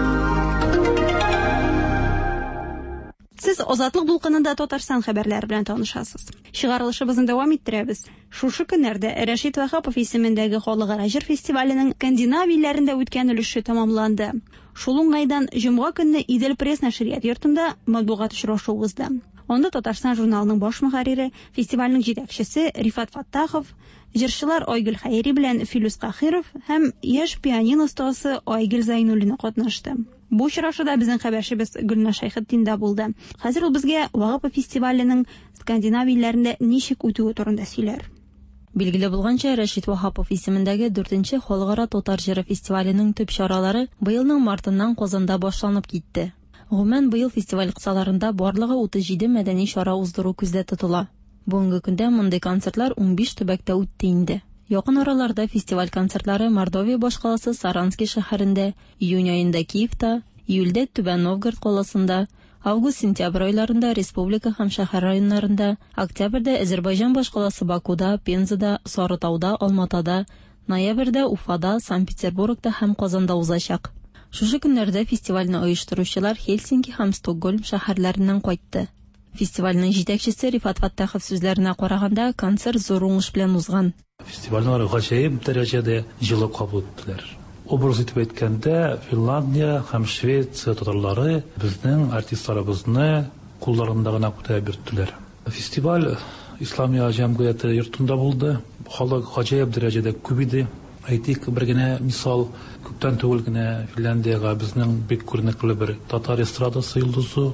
Сез Азатлык дулкынында Татарстан хәбәрләре белән танышасыз. Чыгарылышыбызны дәвам иттерәбез. Шушы көннәрдә Рәшит Ваһапов исемендәге халыкара җыр фестиваленең Скандинавия илләрендә үткән өлеше тәмамланды. Шул уңайдан җомга көнне Идел пресс нәшрият йортында матбугат очрашуы узды. Анда Татарстан журналының баш мөхәррире, фестивальнең җитәкчесе Рифат Фаттахов, җырчылар Айгөл Хәйри белән Филүс Кахиров һәм яшь пианино остасы Айгөл Зайнуллина катнашты. Бу очрашуда безнең хәбәрчебез Гөлназ Шәйхетдин дә булды. Хәзер ул безгә Ваһапов фестиваленең Скандинавия илләрендә ничек үтүе турында сөйләр. Билгеле булганча, Рәшит Ваһапов исемендәге дүртенче халыкара татар җыры фестиваленең төп чаралары быелның мартыннан Казанда башланып китте. Гомумән, быел фестиваль кысаларында барлыгы утыз җиде мәдәни чара уздыру күздә тотыла. Бүгенге көндә мондый концертлар унбиш төбәктә үтте инде. Якын араларда фестиваль концертлары Мордовия башкаласы Саранский шәһәрендә, июнь аенда Киевта, июльдә Түбән Новгород каласында, август-сентябрь айларында республика һәм шәһәр районнарында, октябрьдә Азербайҗан башкаласы Бакуда, Пензада, Сарытауда, Алматада, ноябрьдә Уфада, Санкт-Петербургта һәм Казанда узачак. Шушы көннәрдә фестивальне оештыручылар Хельсинки һәм Стокгольм шәһәрләреннән кайтты. Фестивальнең җитәкчесе Рифат Фаттахов сүзләренә караганда, концерт зур уңыш белән узган. Фестивальне алар гаҗәеп дәрәҗәдә җылы кабул иттеләр. Образ итеп әйткәндә, Финляндия һәм Швеция татарлары безнең артистларыбызны кулларында гына күтәреп йөрттеләр. Фестиваль Исламия җәмгыяте йортында булды. Халык гаҗәеп дәрәҗәдә күп иде. Әйтик, бер генә мисал, күптән түгел генә Финляндиягә безнең бик күренекле бер татар эстрадасы йолдызы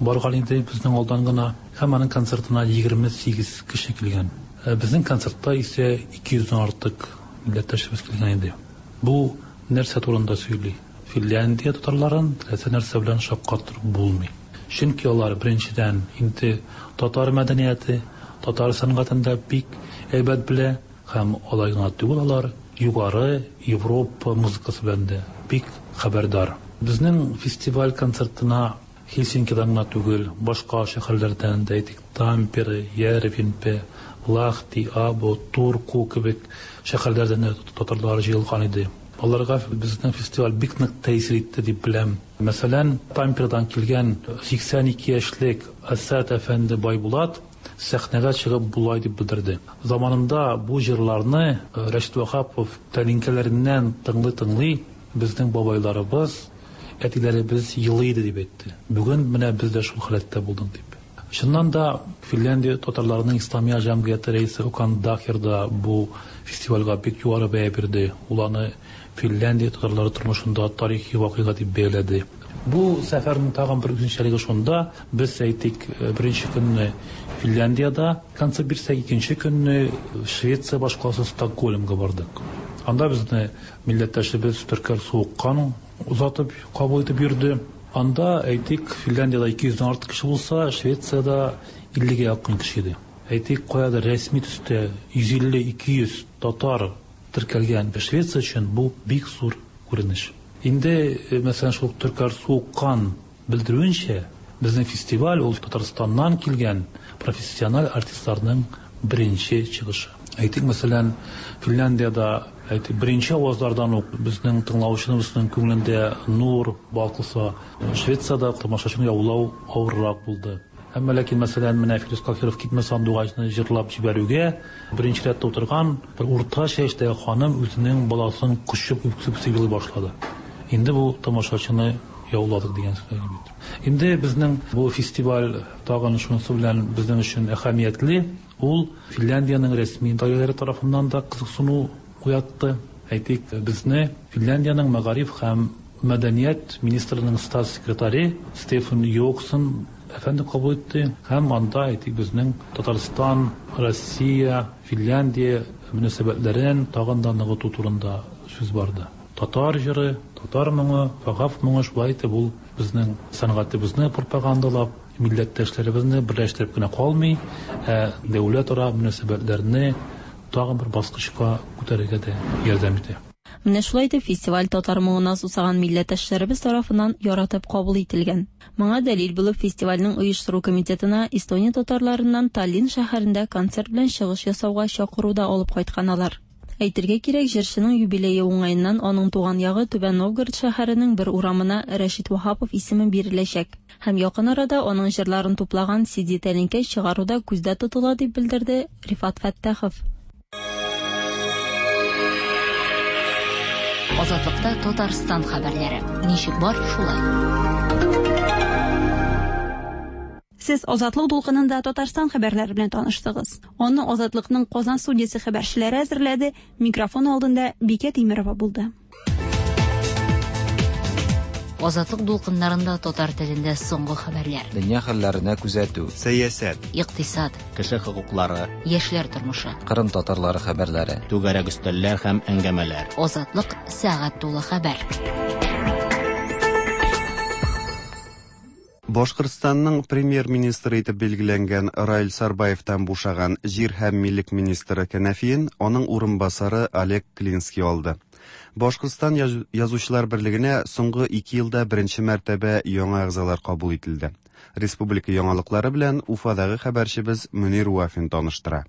барган иде безнең алдан гына, һәм аның концертына егерме сигез кеше килгән. Безнең концертта исә ике йөздән артык милләттәшебез килгән иде. Бу нәрсә турында сөйли? Финляндия татарларын теләсә нәрсә белән шаккатырып булмый. Чөнки алар беренчедән инде татар мәдәнияте, татар сәнгатен дә бик әйбәт белә, һәм алай гына түгел, алар югары Европа музыкасы белән дә бик хәбәрдар. Безнең фестиваль концертына Хельсинкидан гына түгел, башка шәһәрләрдән дә, әйтик, Тампере, Ярвенпе, Лахти, Або, Турку кебек шәһәрләрдән дә татарлар җыелган иде. Аларга безнең фестиваль бик нык тәэсир итте дип беләм. Мәсәлән, Тампередан килгән сиксән ике яшьлек Асад әфәнде Байбулат сәхнәгә чыгып булай дип белдерде. Заманында бу җырларны Рәшит Ваһапов тәлинкәләреннән тыңлый-тыңлый безнең бабайларыбыз, әтиләребез елый иде дип әйтте. Бүген менә без дә шул халәттә булдык дип. Чыннан да Финляндия татарларының Исламия җәмгыяте рәисе Окан Дахер да бу фестивальгә бик югары бәя бирде. Ул аны Финляндия татарлары тормышында тарихи вакыйга дип бәяләде. Бу сәфәрнең тагын бер үзенчәлеге шунда, без әйтик, беренче көнне Финляндиядә концерт бирсәк, икенче көнне Швеция башкаласы Стокгольмга бардык. Анда безне милләттәшебез Төркәр Суыккан озатып кабул итеп йөрде. Анда әйтик, Финляндиядә ике йөздән артык кеше булса, Швециядә иллегә якын кеше иде. Әйтик, каядыр рәсми төстә йөз илле ике йөз татар теркәлгән Швеция өчен бу бик зур күренеш. Инде, мәсәлән, шул Төркәр Суыккан белдерүенчә, безнең фестиваль ул Татарстаннан килгән профессиональ артистларның беренче чыгышы. Әйтик, мәсәлән, Финляндиядә әйтик, беренче авазлардан ук безнең тыңлаучыбызның күңелендә нур балкыса, Швециядә тамашачыны яулау авыррак булды. Әмма ләкин, мәсәлән, менә Филүс Каһиров Китмә сандугачны җырлап җибәрүгә беренче рәттә утырган бер урта яшьтәге ханым үзенең баласын кочып үксеп елый башлады. Инде бу тамашачыны яуладык дигән сүз бит. Инде безнең бу фестиваль тагын шунысы белән безнең өчен әһәмиятле, ул Финляндиянең рәсми даирәләре тарафыннан да кызыксыну уятты. Әйтик, безне Финляндиянең мәгариф һәм мәдәният министрының статс-секретаре Стефан Йоксон әфәнде кабул итте һәм анда әйтик безнең Татарстан, Россия, Финляндия мөнәсәбәтләрен тагын да ныгыту турында сүз барды. Татар җыры, татар моңы, Ваһапов моңы шулай итеп ул безнең сәнгатебезне пропагандалап, милләттәшләребезне берләштереп кенә калмый, ә дәүләтара мөнәсәбәтләрне тагын бер баскычка күтәрергә дә ярдәм итә. Менә шулай итеп фестиваль татар моңына сусаган милләттәшләребез тарафыннан яратып кабул ителгән. Моңа дәлил булып фестивальнең оештыру комитетына Эстония татарларыннан Таллин шәһәрендә концерт белән чыгыш ясауга чакыру да алып кайткан алар. Әйтергә кирәк, җырчының юбилее уңаеннан аның туган ягы Түбән Новгород шәһәренең бер урамына Рәшит Ваһапов исеме биреләчәк. Һәм якын арада аның җырларын туплаган си ди тәлинкә чыгару да күздә тотыла, дип белдерде Рифат Фәттахов. Азатлыкта Татарстан хәбәрләре. Ничек бар, шулай. Сез Азатлык дулкынында Татарстан хәбәрләре белән таныштыгыз. Аны Азатлыкның Казан студиясе хәбәрчеләре әзерләде. Микрофон алдында Бикә Тимирова булды. Азатлык дулкыннарында татар телендә соңгы хәбәрләр. Дөнья хәлләренә күзәтү, сәясәт, икътисад, кеше хокуклары, яшьләр тормышы, Кырым татарлары хәбәрләре, түгәрәк өстәлләр һәм әңгәмәләр. Азатлык сәгать тулы хәбәр. Башкортстанның премьер-министры итеп билгеләнгән Раил Сарбаевтан бушаган җир һәм милек министры кәнәфиен аның урынбасары Олег Клинский алды. Башкортстан язучылар берлегенә соңгы ике елда беренче мәртәбә яңа әгъзалар кабул ителде. Республика яңалыклары белән Уфадагы хәбәрчебез Мөнир Вафин таныштыра.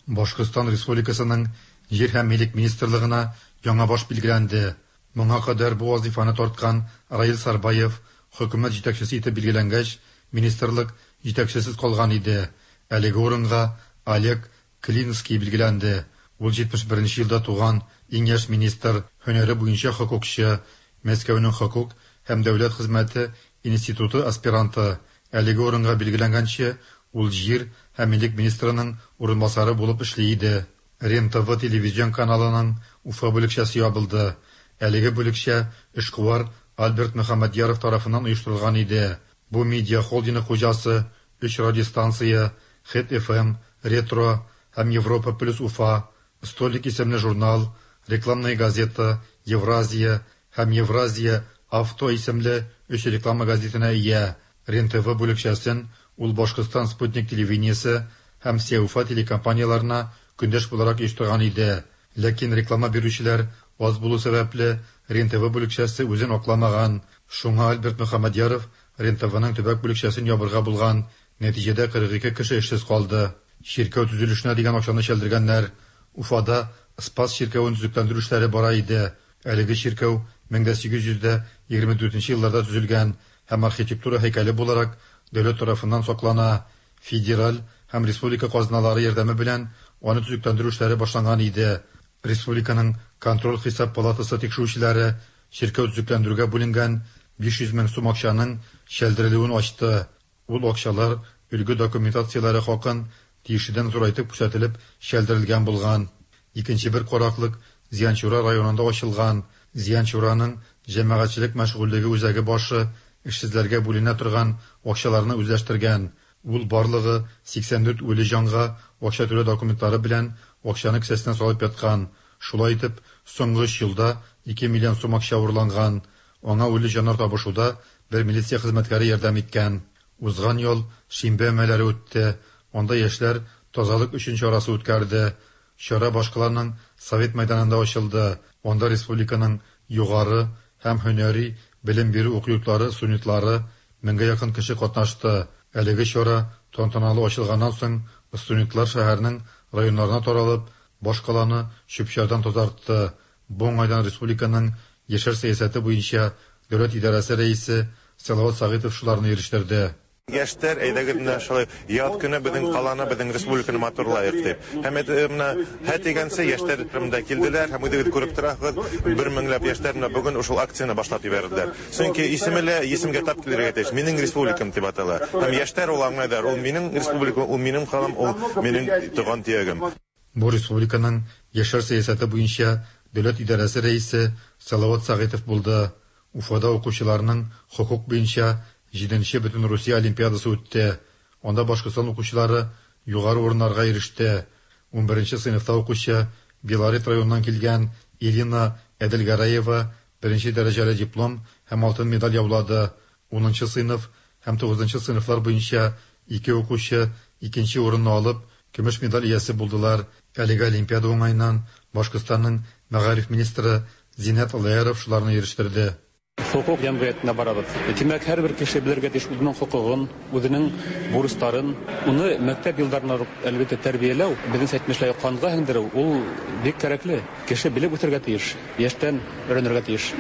Башкортстан Республикасының җир һәм милек министрлыгына яңа баш билгеләнде. Моңа кадәр бу вазифаны тарткан Раил Сарбаев хөкүмәт җитәкчесе итеп билгеләнгәч, министрлык җитәкчесез калган иде. Әлеге урынга Олег Клинский билгеләнде. Ул җитмеш беренче елда туган иң яшь министр, һөнәре буенча хокукчы, Мәскәүнең хокук һәм дәүләт хезмәте институты аспиранты. Әлеге урынга билгеләнгәнче ул җир һәм милек министрының урынбасары булып эшли иде. Рен-ТВ телевизион каналының Уфа бүлекчәсе ябылды. Әлеге бүлекчә эшкуар Альберт Мөхәммәдьяров тарафыннан оештырылган иде. Бу медиа холдинг хуҗасы өч радиостанция, Хит эф эм, Ретро һәм Европа плюс Уфа, Столик исемле журнал, рекламная газета, Евразия һәм Евразия Авто исемле өч реклама газетына ия. Рен-ТВ бүлекчәсен ул Башкортстан Спутник телевидениесе һәм Сеуфа телекомпанияларына көндәш буларак оештырган иде. Ләкин реклама бирүчеләр аз булу сәбәпле Рен-ТВ бүлекчәсе үзен акламаган. Шуңа Альберт Мөхәммәдьяров Рен-ТВның төбәк бүлекчәсен ябырга булган. Нәтиҗәдә кырык ике кеше эшсез калды. Чиркәү төзелешенә дигән акчаны чәлдергәннәр. Уфада Спас чиркәвен төзекләндерү эшләре бара иде. Әлеге чиркәү мең дә сигез йөз дә егерме дүртенче елларда төзелгән һәм архитектура һәйкәле буларак дәүләт тарафыннан саклана. Федераль һәм республика казналары ярдәме белән аны төзекләндерү эшләре башланган иде. Республиканың контроль хисап палатасы тикшерүчеләре чиркәү төзекләндерүгә бүленгән биш йөз мең сум акчаның чәлдерелүен ачты. Ул акчалар өлге документацияләре хакын тиешедән зурайтып күрсәтелеп чәлдерелгән булган. Икенче бер караклык Зиянчура районында ачылган. Зиянчураның җәмәгатьчелек мәшгульлеге үзәге башы эшсезләргә бүленә торган акчаларны үзләштергән. Ул барлыгы сиксән дүрт үле җанга акча түләү документлары белән акчаны кесәсенә салып яткан. Шулай итеп, соңгы өч елда ике миллион сум акча урланган. Аңа үле җаннар табышуда бер милиция хезмәткәре ярдәм иткән. Узган ел шимбә өмәләре үтте. Анда яшьләр тазалык өчен чарасы үткәрде. Чара башкаланың Совет мәйданында ачылды. Анда республиканың югары һәм һөнәри белем бирү уку йортлары студентлары меңгә якын кеше катнашты. Әлеге чара тантаналы ачылганнан соң студентлар шәһәрнең районнарына таралып, башкаланы чүп-чардан тазартты. Бу уңайдан республиканың яшьләр сәясәте буенча дәүләт идарәсе рәисе Салават Сәгыйтов шуларны ирештерде. Яшьләр, әйдәгез менә шулай яз көне безнең каланы, безнең республиканы матурлайык дип. Һәм менә һә дигәнче яшьләр монда килделәр һәм үзегез күреп торасыз, бер меңләп яшьләр менә бүген ушул акцияне башлап җибәрделәр. Чөнки исеме лә исемгә тап килергә тиеш. Минем республикам дип атала. Һәм яшьләр ул аңлайлар, ул минем республикам, ул минем калам, ул минем туган төягем. Бу республиканың яшьләр сәясәте буенча дәүләт идарәсе рәисе Салават Сәгыйтов булды. Уфада укучыларның хокук буенча җиденче бөтен Русия олимпиадасы үтте. Анда Башкортстан укучылары югары урыннарга иреште. Унберенче сыйныфта укучы Белорет районыннан килгән Ирина Әделгәрәева беренче дәрәҗәле диплом һәм алтын медаль яулады. Унынчы сыйныф һәм тугызынчы сыйныфлар буенча ике укучы икенче урынны алып, көмеш медаль иясе булдылар. Әлеге олимпиада уңаеннан Башкортстанның мәгариф министры Зиннәт Аллаяров шуларны ирештерде. Хокук җәмгыятенә барабыз. Димәк, һәрбер кеше белергә тиеш үзенең хокугын, үзенең бурычларын. Уны мәктәп елларында ук әлбәттә тәрбияләү, безнең әйтмешләй канга һеңдерү, ул бик кирәкле. Кеше белеп үсәргә тиеш, яшьтән өйрәнергә тиеш.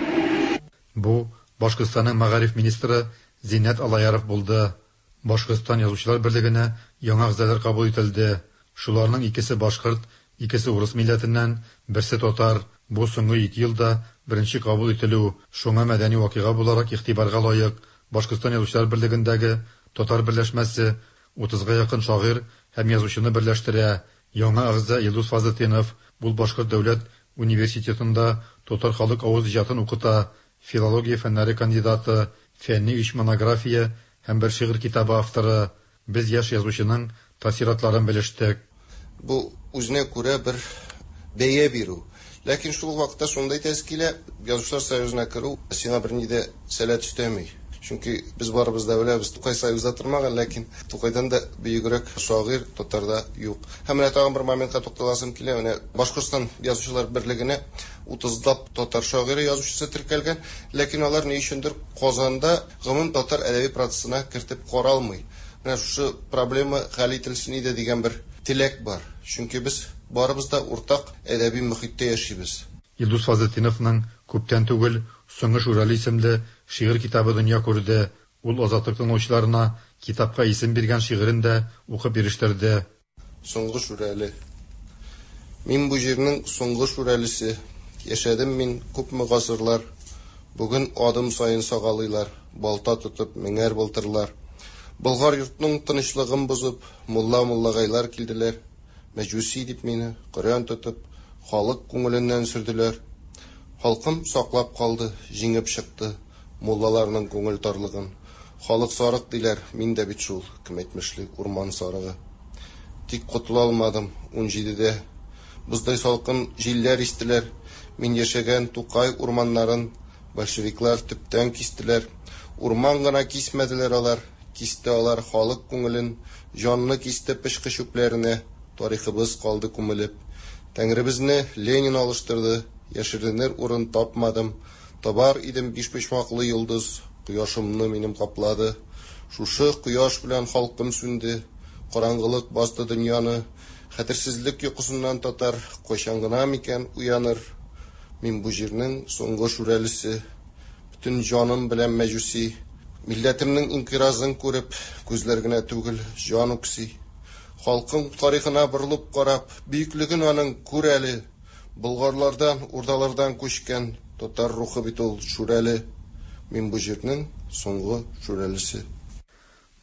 Бу Башкортстанның мәгариф министры Зиннәт Аллаяров булды. Башкортстан язучылар берлегенә яңа әгъзалар кабул ителде. Шуларның икесе башкорт, икесе урыс милләтеннән, берсе татар. Бу соңгы ике елда беренче кабул ителү, шуңа мәдәни вакыйга буларак игътибарга лаек. Башкортстан язучылар берлегендәге татар берләшмәсе утызга якын шагыйрь һәм язучыны берләштерә. Яңа әгъза Илдус Фазлетдинов бу Башкорт дәүләт университетында татар халык авыз иҗатын укыта, филология фәннәре кандидаты, фәнни өч монография һәм бер шигырь китабы авторы. Без яшь язучының тәэсиратларын белештек. Бу үзенә күрә бер бәя бирү. Ләкин шул вакытта шундай тәэсир килә, Язучылар союзына керү сиңа берни дә сәләт өстәми. Чөнки без барыбыз да беләбез, Тукай союзда тормаган, ләкин Тукайдан да бөегрәк шагыйрь татарда юк. Һәм менә тагын бер моментка тукталасым килә. Менә Башкортстан язучылар берлегенә утызлап татар шагыйре язучысы теркәлгән, ләкин алар ни өчендер Казанда гомум татар әдәби процессына кертеп каралмый. Менә шушы проблема хәл ителсен иде дигән бер теләк бар. Чөнки без барыбыз да уртак әдәби мөхиттә яшибез. Илдус Фазлетдиновның күптән түгел Соңгы Шүрәле исемле шигырь китабы дөнья күрде. Ул Азатлык тыңлаучыларына китапка исем биргән шигырен дә укып ирештерде. Соңгы Шүрәле. Мин бу җирнең соңгы шүрәлесе. Яшәдем мин күпме гасырлар. Бүген адым саен сагалыйлар, балта тотып меңәр былтырлар. Болгар йортның тынычлыгын бозып, мулла-муллагайлар килделәр. Мәҗүси дип мине Коръән тотып, халык күңеленнән сөрделәр. Халкым саклап калды, җиңеп чыкты муллаларның күңел тарлыгын. Халык сарык диләр, мин дә бит шул, кем әйтмешли, урман сарыгы. Тик котыла алмадым ун җидедә. Боздай салкын җилләр истеләр. Мин яшәгән Тукай урманнарын большевиклар төптән кистеләр. Урман гына кисмәделәр алар, кисте алар халык күңелен, җанны кисте пычкы чүпләренә. Тарихыбыз калды күмелеп. Тәңребезне Ленин алыштырды, яшеренер урын тапмадым. Табар идем биш почмаклы йолдыз, кояшымны минем каплады. Шушы кояш белән халкым сүнде, караңгылык басты дөньяны. Хәтерсезлек йокысыннан татар кайчан гына микән уяныр? Мин бу җирнең соңгы шүрәлесе, бөтен җаным белән мәҗүси. Милләтемнең инкыйразын күреп, күзләр генә түгел, җан үкси. Халкым тарихына борылып карап, бөеклеген аның күр әле. Болгарлардан, урдалардан күчкән татар рухы бит ул шүрәле. Мин бу җирнең соңгы шүрәлесе.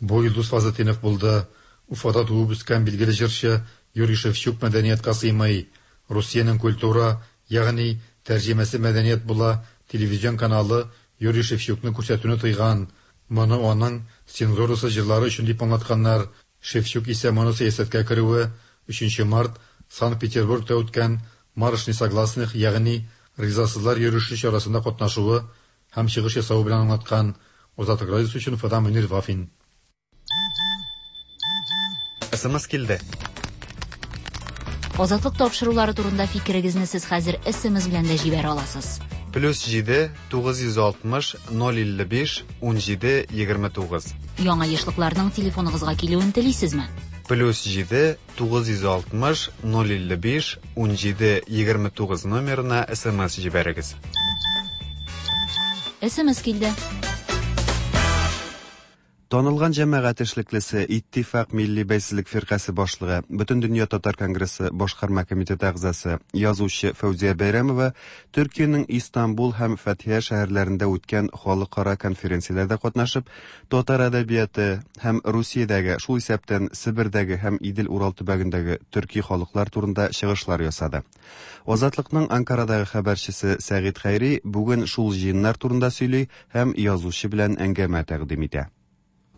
Бу Илдус Фазлетдинов булды. Уфада туып үскән билгеле җырчы Юрий Шевчук мәдәнияткә сыймый. Русиянең культура, ягъни тәрҗемәсе мәдәният була, телевизион каналы Юрий Шевчукны күрсәтүне тыйган. Моны аның цензурасы җырлары өчен дип аңлатканнар. Шевчук исә моны сәясәткә керүе өченче март Санкт-Петербургта үткән Марш несогласных, ягъни ризасызлар йөреше чарасында катнашуы һәм чыгыш ясавы белән аңлаткан. Азатлык радиосы өчен Уфадан Мөнир Вафин. Эс эм эс килде. Азатлык тапшырулары турында фикерегезне сез хәзер эс эм эс белән дә җибәрә аласыз. Плюс җиде, тугыз йөз алтмыш, ноль илле биш, ун җиде, егерме тугыз. Яңа ешлыкларның телефоныгызга килүен телисезме? Плюс җиде тугыз йөз алтмыш ноль илле биш унҗиде егерме тугыз номерына СМС җибәрегез. СМС килде. Танылган җәмәгать эшлеклесе, Иттифак милли бәйсезлек фиркасе башлыгы, Бөтендөнья татар конгрессы башкарма комитеты әгъзасы, язучы Фәүзия Бәйрәмова Төркиянең Истанбул һәм Фәтхия шәһәрләрендә үткән халыкара конференцияләрдә катнашып, татар әдәбияты һәм Русиядәге, шул исәптән Себердәге һәм Идел-Урал төбәгендәге төрки халыклар турында чыгышлар ясады. Азатлыкның Анкарадагы хәбәрчесе Сәгыйть Хәйри бүген шул җыеннар турында сөйли һәм язучы белән әңгәмә тәкъдим итә.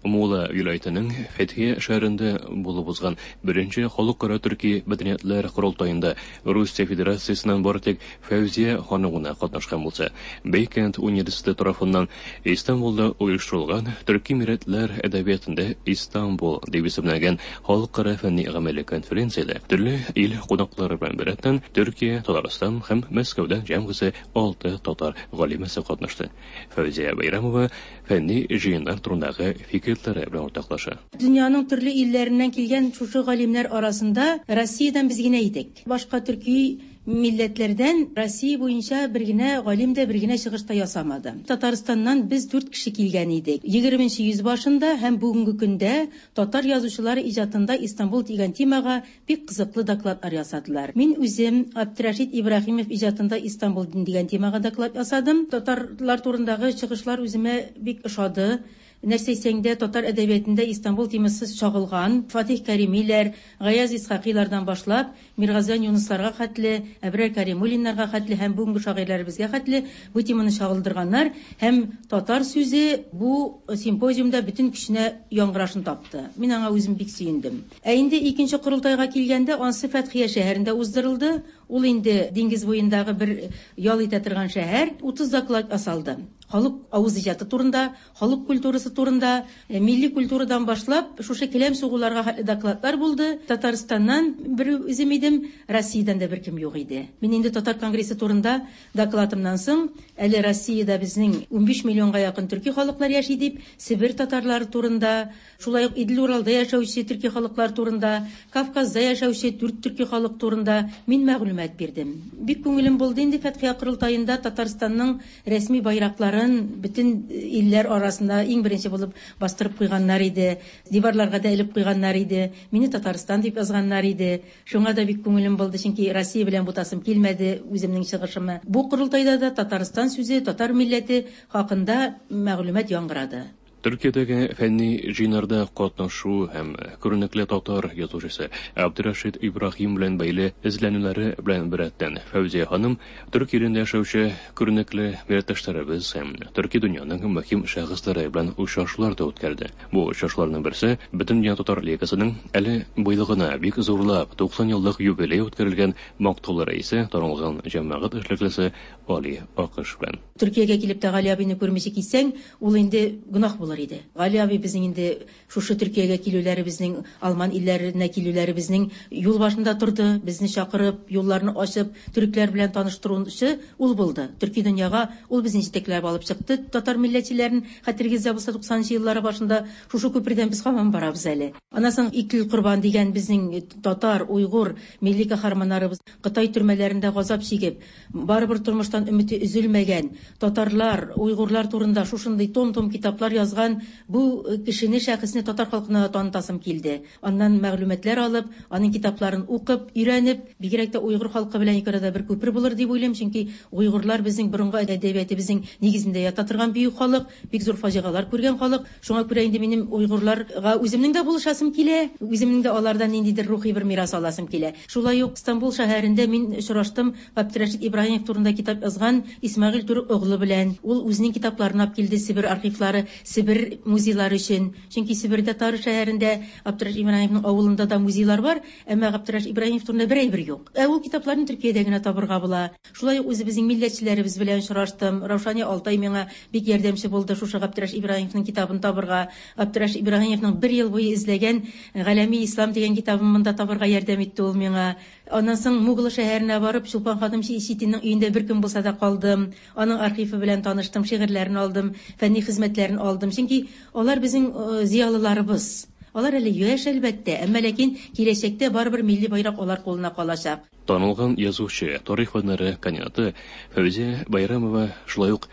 Мула вилаятының Фәтхия шәһәрендә булып узган беренче халыкара төрки мәдәниятләр корылтаенда Русия Федерациясеннән бары тик Фәүзия ханым гына катнашкан булса, Бейкент университеты тарафыннан Истанбулда оештырылган Төрки милләтләр әдәбиятында Истанбул дип исемләнгән халыкара фәнни гамәли конференциядә төрле ил кунаклары белән беррәттән Төркия, Татарстан һәм Мәскәүдән җәмгысе алты татар галимәсе катнашты. Фәүзия Бәйрәмова фәнни җыеннар турындагы фикер белән уртаклаша. Дөньяның төрле илләреннән килгән шушы галимнәр арасында Россиядән без генә идек. Башка төрки милләтләрдән Россия буенча бер генә галим дә бер генә чыгыш та ясамады. Татарстаннан без дүрт кеше килгән идек. Егерменче йөз башында һәм бүгенге көндә татар язучылары иҗатында Истанбул дигән темага бик кызыклы докладлар ясадылар. Мин үзем Абдрашит Ибраһимов иҗатында Истанбул дигән темага доклад ясадым. Татарлар турындагы чыгышлар үземә бик ошады. Нәрсә әйтсәң дә, татар әдәбиятында Истанбул темасы чагылган. Фатих Кәримиләр, Гаяз Исхакыйлардан башлап, Миргазиян Юнысларга хәтле, Әбрар Кәримуллиннарга хәтле һәм бүгенге шагыйрьләребезгә хәтле бу теманы чагылдырганнар һәм татар сүзе бу симпозиумда бөтен көченә яңгырашын тапты. Мин аңа үзем бик сөендем. Ә инде икенче корылтайга килгәндә, ансы Фәтхия шәһәрендә уздырылды. Ул инде диңгез буендагы бер ял итә торган шәһәр. Утыз доклад ясалды. Халык авыз иҗаты турында, халык культурасы турында, милли культурадан башлап, шушы келәм сугуларга хәтле докладлар булды. Татарстаннан бер үзем идем, Россиядән дә беркем юк иде. Мин инде Татар конгрессы турында докладымнан соң, әле Россиядә безнең унбиш миллионга якын төрки халыклар яши дип, Себер татарлары турында, шулай ук Идел-Уралда яшәүче төрки халыклар турында, Кавказда яшәүче дүрт төрки халык турында мин мәгълүмат бирдем. Бик күңелем булды инде Фәтхия корылтаенда Татарстанның рәсми байраклары бөтен илләр арасында иң беренче булып бастырып куйганнар иде, диварларга да элеп куйганнар иде, мине Татарстан дип язганнар иде. Шуңа да бик күңелем булды, чөнки Россия белән бутасым килмәде үземнең чыгышымы. Бу корылтайда да Татарстан сүзе, татар милләте хакында мәгълүмат яңгырады. Төркиядәге фәнни җыеннарда катнашу һәм күренекле татар язучысы Абдрашит Ибраһим белән бәйле эзләнүләре белән беррәттән Фәүзия ханым Төркия илендә яшәүче күренекле милләттәшләребез һәм төрки дөньяның мөһим шәхесләре белән очрашулар да үткәрде. Бу очрашуларның берсе Бөтендөнья татар лигасының әле быел гына бик зурлап туксан еллык юбилей үткәрелгән мактаулы рәисе, танылган җәмәгать эшлеклесе Али Акыш белән. Төркиягә килеп тә Гали абыйны күрмичә китсәң, ул инде гөнаһ булыр иде. Гали абый безнең инде шушы Төркиягә килүләребезнең, Алман илләренә килүләребезнең юл башында торды, безне чакырып, юлларны ачып, төрекләр белән таныштыручы ул булды. Төрки дөньяга ул безне җитәкләп алып чыкты. Татар милләтчеләрен хәтергездә булса туксанынчы еллары башында шушы күпердән без һаман барабыз әле. Аннан соң Иклил Корбан дигән безнең татар, уйгур милли каһарманнарыбыз Кытай төрмәләрендә газап чигеп, барыбер тормыштан өмете өзелмәгән татарлар, уйгурлар турында шушындый том-том китаплар язган бу кешене, шәхесне татар халкына танытасым килде. Аннан мәгълүматлар алып, аның китапларын укып, өйрәнеп, бигрәк тә уйгур халкы белән ике арада бер күпер булыр дип уйлыйм, чөнки уйгурлар безнең борынгы әдәбиятыбызның нигезендә ята торган бөек халык, бик зур фаҗигалар күргән халык. Шуңа күрә инде минем уйгурларга үземнең дә булышасым килә, үземнең дә алардан ниндидер рухи бер мирас аласым килә. Шулай ук Истанбул шәһәрендә мин очраштым Абдрашит Ибраһимов турында китап язган Исмәгыйль Түрек оглы белән. Ул үзенең китапларын алып килде Себер архивлары, Себер музейлары өчен. Чөнки Себердә Тары шәһәрендә Абдрашит Ибраһимовның авылында да музейлар бар, әмма Абдрашит Ибраһимов турында бер әйбер юк. Ә ул китапларны Төркиядә генә табырга була. Шулай ук үзебезнең милләтчеләребез белән очраштым. Раушания Алтай миңа бик ярдәмче булды шушы Абдрашит Ибраһимовның китабын табырга. Абдрашит Ибраһимовның бер ел буе эзләгән Галәми Ислам дигән китабын монда табырга ярдәм итте ул миңа. Аннан соң Мугла шәһәренә барып, Чулпан ханым Читинның өендә бер көн булса да калдым. Аның архивы белән таныштым, шигырьләрен алдым, фәнни хезмәтләрен алдым. Чөнки алар безнең зыялыларыбыз. Алар әле яшь әлбәттә, әмма ләкин киләчәктә барыбер милли байрак алар кулына калачак. Танылган язучы, тарих фәннәре кандидаты Фәүзия Байрамова шулай ук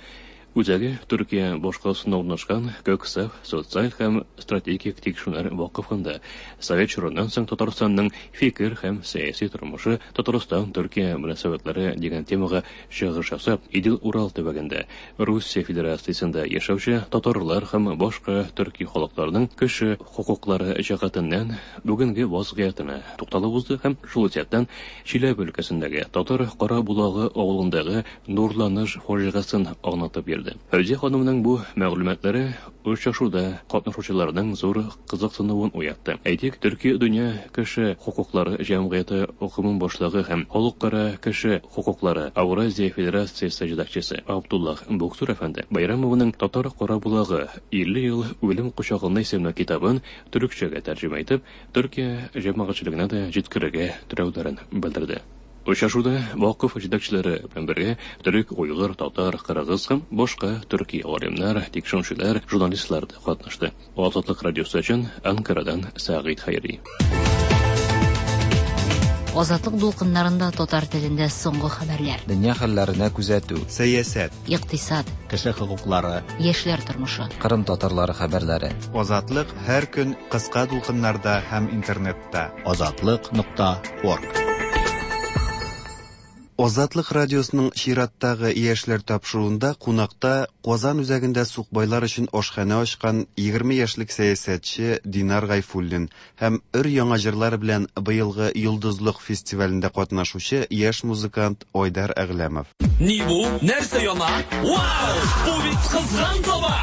үзәге Төркия башкаласында урнашкан Көксәф социаль һәм стратегик тикшерүләр вакыфында Совет чорыннан соң Татарстанның фикер һәм сәяси тормышы, Татарстан-Төркия мөнәсәбәтләре дигән темага чыгыш ясап, Идел-Урал төбәгендә Русия Федерациясендә яшәүче татарлар һәм башка төрки халыкларның кеше хокуклары җәһәтеннән бүгенге вазгыятенә тукталып узды һәм шул исәптән Чиләбе өлкәсендәге Татар Карабулагы авылындагы нурланыш фаҗигасын аңлатып бирде. Фәүзия ханымның бу мәгълүматлары очрашуда катнашучыларның зур кызыксынуын уятты. Әйтик, Төркия дөнья кеше хокуклары җәмгыяте гомум башлыгы һәм Халыкара кеше хокуклары Авразия Федерациясе җитәкчесе Абдуллах Буксур әфәнде Байрамованың Татар Карабулагы илле ел үлем кочагында исемле китабын төрекчәгә тәрҗемә итеп, Төркия җәмәгатьчелегенә дә җиткерергә теләүләрен белдерде. Очрашуда вакыф җитәкчеләре белән бергә төрек, уйгыр, татар, кыргыз һәм башка төрки галимнәр, тикшерүчеләр, журналистлар да катнашты. Азатлык радиосы өчен Анкарадан Сәгыйть Хәйри. Азатлык дулкыннарында татар телендә соңгы хәбәрләр. Дөнья хәлләренә күзәтү. Сәясәт. Икътисад. Кеше хокуклары. Яшьләр тормышы. Кырым татарлары хәбәрләре. Азатлык һәр көн кыска дулкыннарда һәм интернетта. Азатлык нокта орг. Азатлык радиосының чираттагы яшьләр тапшыруында кунакта Казан үзәгендә сукбайлар өчен ашханә ачкан егерме яшьлек сәясәтче Динар Гайфуллин һәм өр яңа җырлар белән быелгы Йолдызлык фестивалендә катнашучы яшь музыкант Айдар Әгъләмов. Ни бу? Нәрсә яна? Вау! Бу бит кызган таба!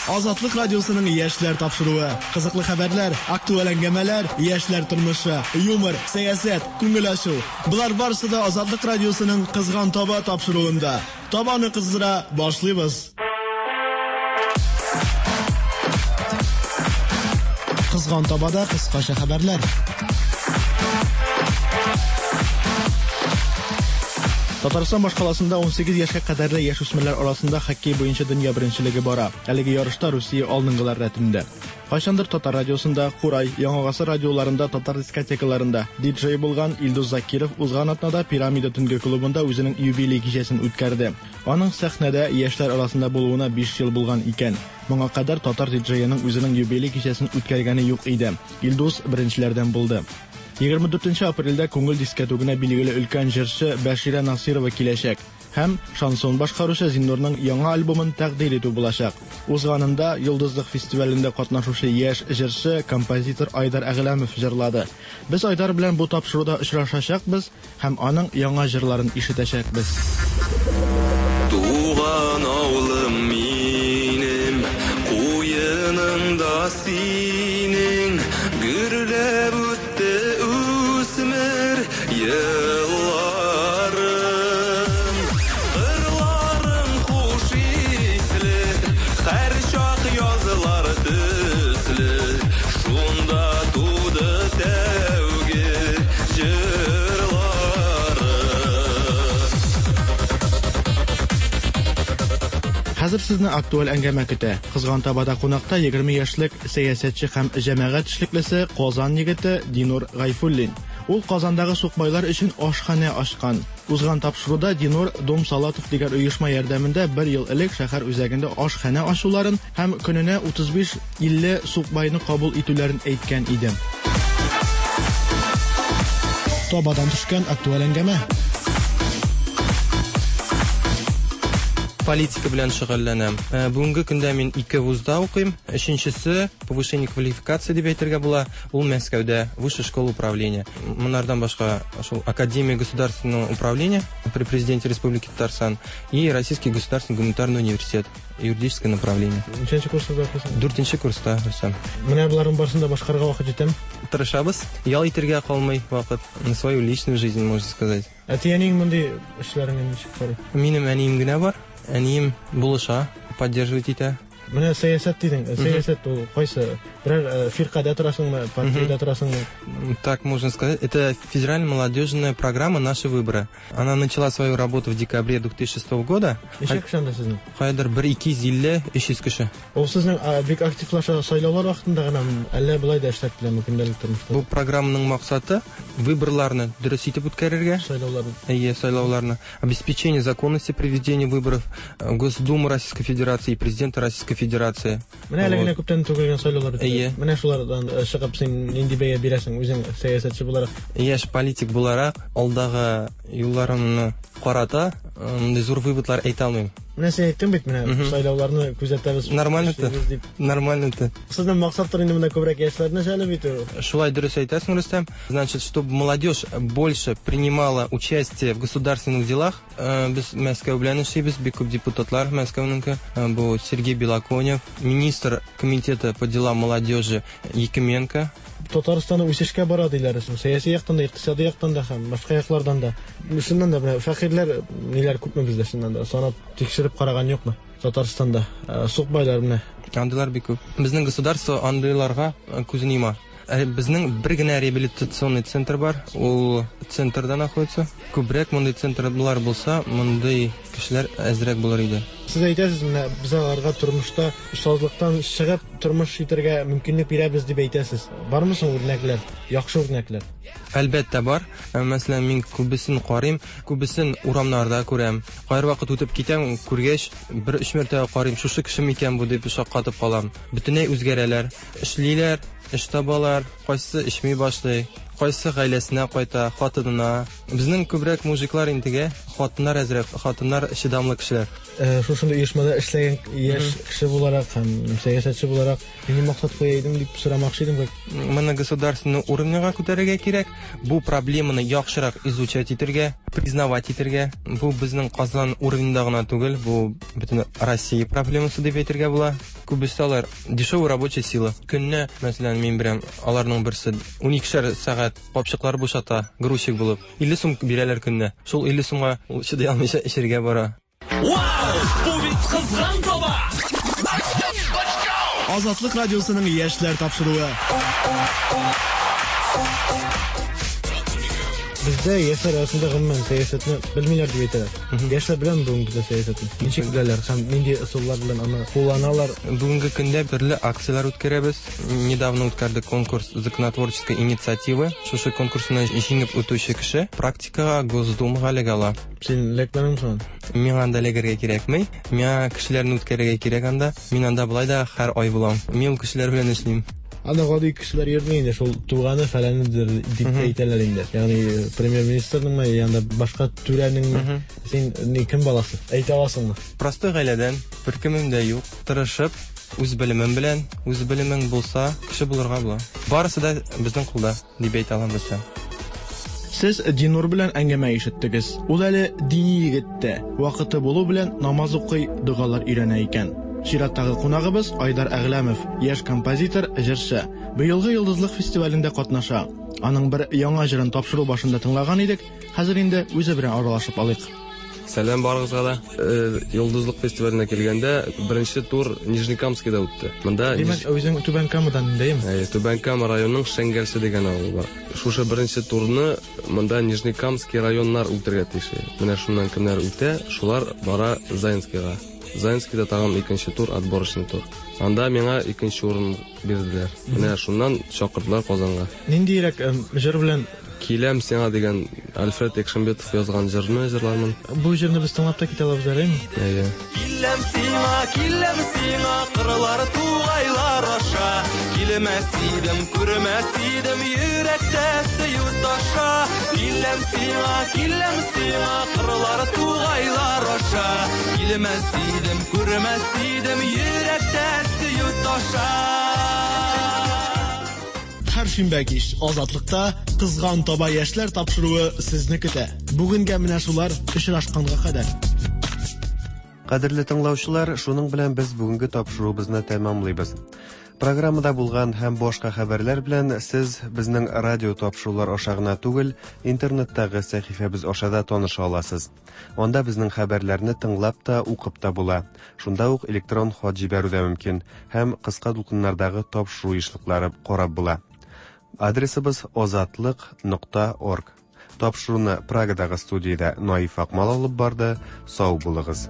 Азатлык радиосының яшьләр тапшыруы. Кызыклы хәбәрләр, актуаль әңгәмәләр, яшьләр тормышы, юмор, сәясәт, күңел ачу. Болар барысы да Азатлык радиосының Кызган таба тапшыруында. Табаны кыздыра башлыйбыз. Кызган табада кыскача хәбәрләр. Татарстан башкаласында ун сигез яшькә кадәрле яшүсмерләр арасында хоккей буенча дөнья беренчелеге бара. Әлеге ярышта Русия алдынгылар рәтендә. Кайчандыр татар радиосында, Курай, Яңа гасыр радиоларында, татар дискотекаларында диджей булган Илдус Закиров узган атнада Пирамида төнге клубында үзенең юбилей кичәсен үткәрде. Аның сәхнәдә яшьләр арасында булуына биш ел булган икән. Моңа кадәр татар диджееның үзенең юбилей кичәсен үткәргәне юк иде. Илдус беренчеләрдән булды. егерме дүртенче апрельдә күңел дискәтүгенә билгеле өлкән җырчы Бәширә Насирова киләчәк һәм шансон башкаручы Зиннурның яңа альбомын тәкъдир итү булачак. Узганында Йолдызлык фестивалендә катнашучы яшь җырчы, композитор Айдар Әгъләмов җырлады. Без Айдар белән бу тапшыруда очрашачакбыз һәм аның яңа җырларын ишетәчәкбез. Туган авылым минем, куеныңда синең, гөрләп үтте үсмер елларым. Кырларың хуш исле, һәр чак язлар төсле, шунда туды тәүге җырларым. Хәзер сезне актуаль әңгәмә көтә. Кызган табада кунакта егерме яшьлек сәясәтче һәм җәмәгать эшлеклесе Казан егете Динур Гайфуллин. Ул Казандагы сукбайлар өчен ашханә ачкан. Узган тапшыруда Динур Дом Салатов дигән оешма ярдәмендә бер ел элек шәһәр үзәгендә ашханә ачуларын һәм көненә утыз биш илле сукбайны кабул итүләрен әйткән иде. Табадан төшкән актуаль әңгәмә. Политика белән шөгыльләнәм. Бүгенге көндә мин ике вузда укыйм. Өченчесе повышение квалификации дип әйтергә була. Ул Мәскәүдә, Высшая школа управления. Монардан башка шул Академия государственного управления при президенте Республики Татарстан и Российский государственный гуманитарный университет, юридическое направление. Ничәнче курста укыйсың? Дүртенче курста, Рөстәм. Менә боларның барысын да башкарырга вакыт җитәме? Тырышабыз. Ял итәргә калмый вакыт. На свою личную жизнь, можно сказать. Әти-әниең мондый эшләреңә ничек карый? Минем әнием генә бар. Әнием булыша, поддерживать итә. Менә сәясәт дидең. Сәясәт ул кайсы? Берәр фиркадә торасыңмы, партиядә торасыңмы? Так можно сказать. Это федеральная молодежная программа «Наши выборы». Она начала свою работу в декабре две тысячи шестого года. Ничә кеше анда сезнең? Кайдыр бер ике йөз илле, өч йөз кеше. Ул сезнең бик активлаша сайлаулар вакытында гына, әллә болай да эшләп киләме көндәлек тормышта? Бу программаның максаты выборларны дөрес итеп үткәрергә. Сайлауларны. Әйе, сайлауларны. Обеспечение законности проведения выборов Госдумы Российской Федерации и Президента Российской Федерации. Менә әле генә күптән түгел сайлаулар үтте. Әйе. Менә шулардан чыгып син нинди бәя бирәсең үзең сәясәтче буларак? Яшь политик буларак алдагы юлларымны карата мондый зур выводлар әйтә алмыйм. Менә син әйттең бит, менә сайлауларны күзәтәбез. Нормально это. Нормально это. Сезнең максатлар инде монда күбрәк яшьләрне җәлеп итү. Шулай дөрес әйтәсең, Рөстәм. Значит, чтобы молодежь больше принимала участие в государственных делах, без Мәскәү белән эшлибез, бик күп депутатлар Мәскәүнеке. Бу Сергей Белоконев, министр комитета по делам молодежи Якименко. Татарстаны үсешкә бара диләр, сәяси яктан да, икътисади яктан да һәм башка яклардан да. Чыннан да менә фәкыйрьләр ниләр күпме бездә чыннан да? Санап тикшереп караган юкмы? Татарстанда сукбайлар менә. Андыйлар бик күп. Безнең государство андыйларга күзен йома. Безнең бер генә реабилитационный центр бар, ул центрда находится. Күбрәк мондый центрлар булса, мондый кешеләр әзрәк булыр иде. Сез әйтәсез, менә без аларга тормышта остазлыктан чыгып тормыш итәргә мөмкинлек бирәбез дип әйтәсез. Бармы соң үрнәкләр, яхшы үрнәкләр? Әлбәттә бар. Мәсәлән, мин күбесен карыйм, күбесен урамнарда күрәм. Кайвакыт үтеп китәм, күргәч, бер өч мәртәбә карыйм, шушы кеше микән бу дип шаккатып калам. Бөтенләй үзгәрәләр, эшлиләр, эш табалар, кайсы эчми башлый, кайсы гаиләсенә кайта, хатынына. Безнең күбрәк мужиклар интегә, хатыннар әзрәк, хатыннар чыдамлы кешеләр. Шушындый оешмада эшләгән яшь кеше буларак һәм сәясәтче буларак нинди максат куя идең дип сорамакчы идем. Моны государственный уровеньга күтәрергә кирәк, бу проблеманы яхшырак изучать итәргә, признавать итәргә. Бу безнең Казан уровеньда гына түгел, бу бөтен Россия проблемасы дип әйтергә була. Күбесе алар дешевая рабочая сила. Көнне, мәсәлән, мин беләм, аларның берсе уникешәр сәгать капчыклар бушата, грузчик булып. илле сум бирәләр көнне. Шул илле сумга ул чыдый алмыйча эчәргә бара. Вау! Бу бит кызган таба! Азатлык радиосының яшьләр тапшыруы. Бездә яшьләр арасында гомумән сәясәтне белмиләр дип әйтәләр. Яшьләр белән бүгенге көндә сәясәтне ничек беләләр һәм нинди ысуллар белән аны кулланалар? Бүгенге көндә төрле акцияләр үткәрәбез. Недавно үткәрдек конкурс законотворческой инициативы. Шушы конкурсны җиңеп үтүче кеше практикага Госдумага эләгә ала. Син эләкмәдеңме соң? Миңа анда эләгергә кирәкми. Миңа кешеләрне үткәрергә кирәк анда. Мин анда болай да һәр ай булам. Мин ул кешеләр белән эшлим. Анда гади кешеләр йөрми инде, шул туганы фәләнедер дип әйтәләр инде. Ягъни премьер-министрныңмы, янда башка түрәнеңме? Син ни кем баласы? Әйтә аласыңмы? Простой гаиләдән, бер кемем дә юк. Тырышып, үз белемем белән, үз белемең булса, кеше булырга була. Барысы да безнең кулда, дип әйтә алам без. Сез Динур белән әңгәмә ишеттегез. Ул әле дини егет тә, вакыты булу белән намаз укый, догалар өйрәнә икән. Чираттагы кунагыбыз Айдар Әгъләмов, яшь композитор, җырчы. Быелгы Йолдызлык фестивалендә катнаша. Аның бер яңа җырын тапшыру башында тыңлаган идек. Хәзер инде үзе белән аралашып алыйк. Сәлам барыгызга да. Йолдызлык фестиваленә килгәндә беренче тур Нижнекамскида үтте. Монда Димәк, үзең Түбән Камадан дәйме? Әйе, Түбән Кама районының Шәңгәлче дигән авылы бар. Шушы беренче турны монда Нижнекамский районнар үтәргә тиеш. Менә шуннан кемнәр үтә, шулар бара Заинскийга. Заинскийда тагын икенче тур, отборочный тур. Анда миңа икенче урын бирделәр. Менә шуннан чакырдылар Казанга. Ниндирәк җыр белән? Киләм сиңа дигән Альфред Экшембетов язган җырны җырлармын. Бу җырны без тыңлап та китә алабыз әлеме? Әйе. Киләм сиңа, киләм сиңа, кырлар тугайлар аша. Килмәс идем, күрмәс идем, йөрәктә сөю таша. Киләм сиңа, киләм сиңа, кырлар тугайлар аша. Килмәс идем, күрмәс идем, йөрәктә сөю таша. Һәр шимбә кич Азатлыкта кызган таба яшьләр тапшыруы сезне көтә. Бүгенгә менә шулар, очрашканга кадәр. Кадерле тыңлаучылар, шуның белән без бүгенге тапшыруыбызны тәмамлыйбыз. Программада булган һәм башка хәбәрләр белән сез безнең радио тапшырулар аша гына түгел, интернеттагы сәхифәбез аша да таныша аласыз. Анда безнең хәбәрләрне тыңлап та, укып та була. Шунда ук электрон хат җибәрү дә мөмкин һәм кыска дулкыннардагы тапшыру ешлыклары карап була. Адресыбыз озатлык нокта орг. Тапшыруны Прагадагы студиядә Наиф Акмал алып барды. Сау булыгыз.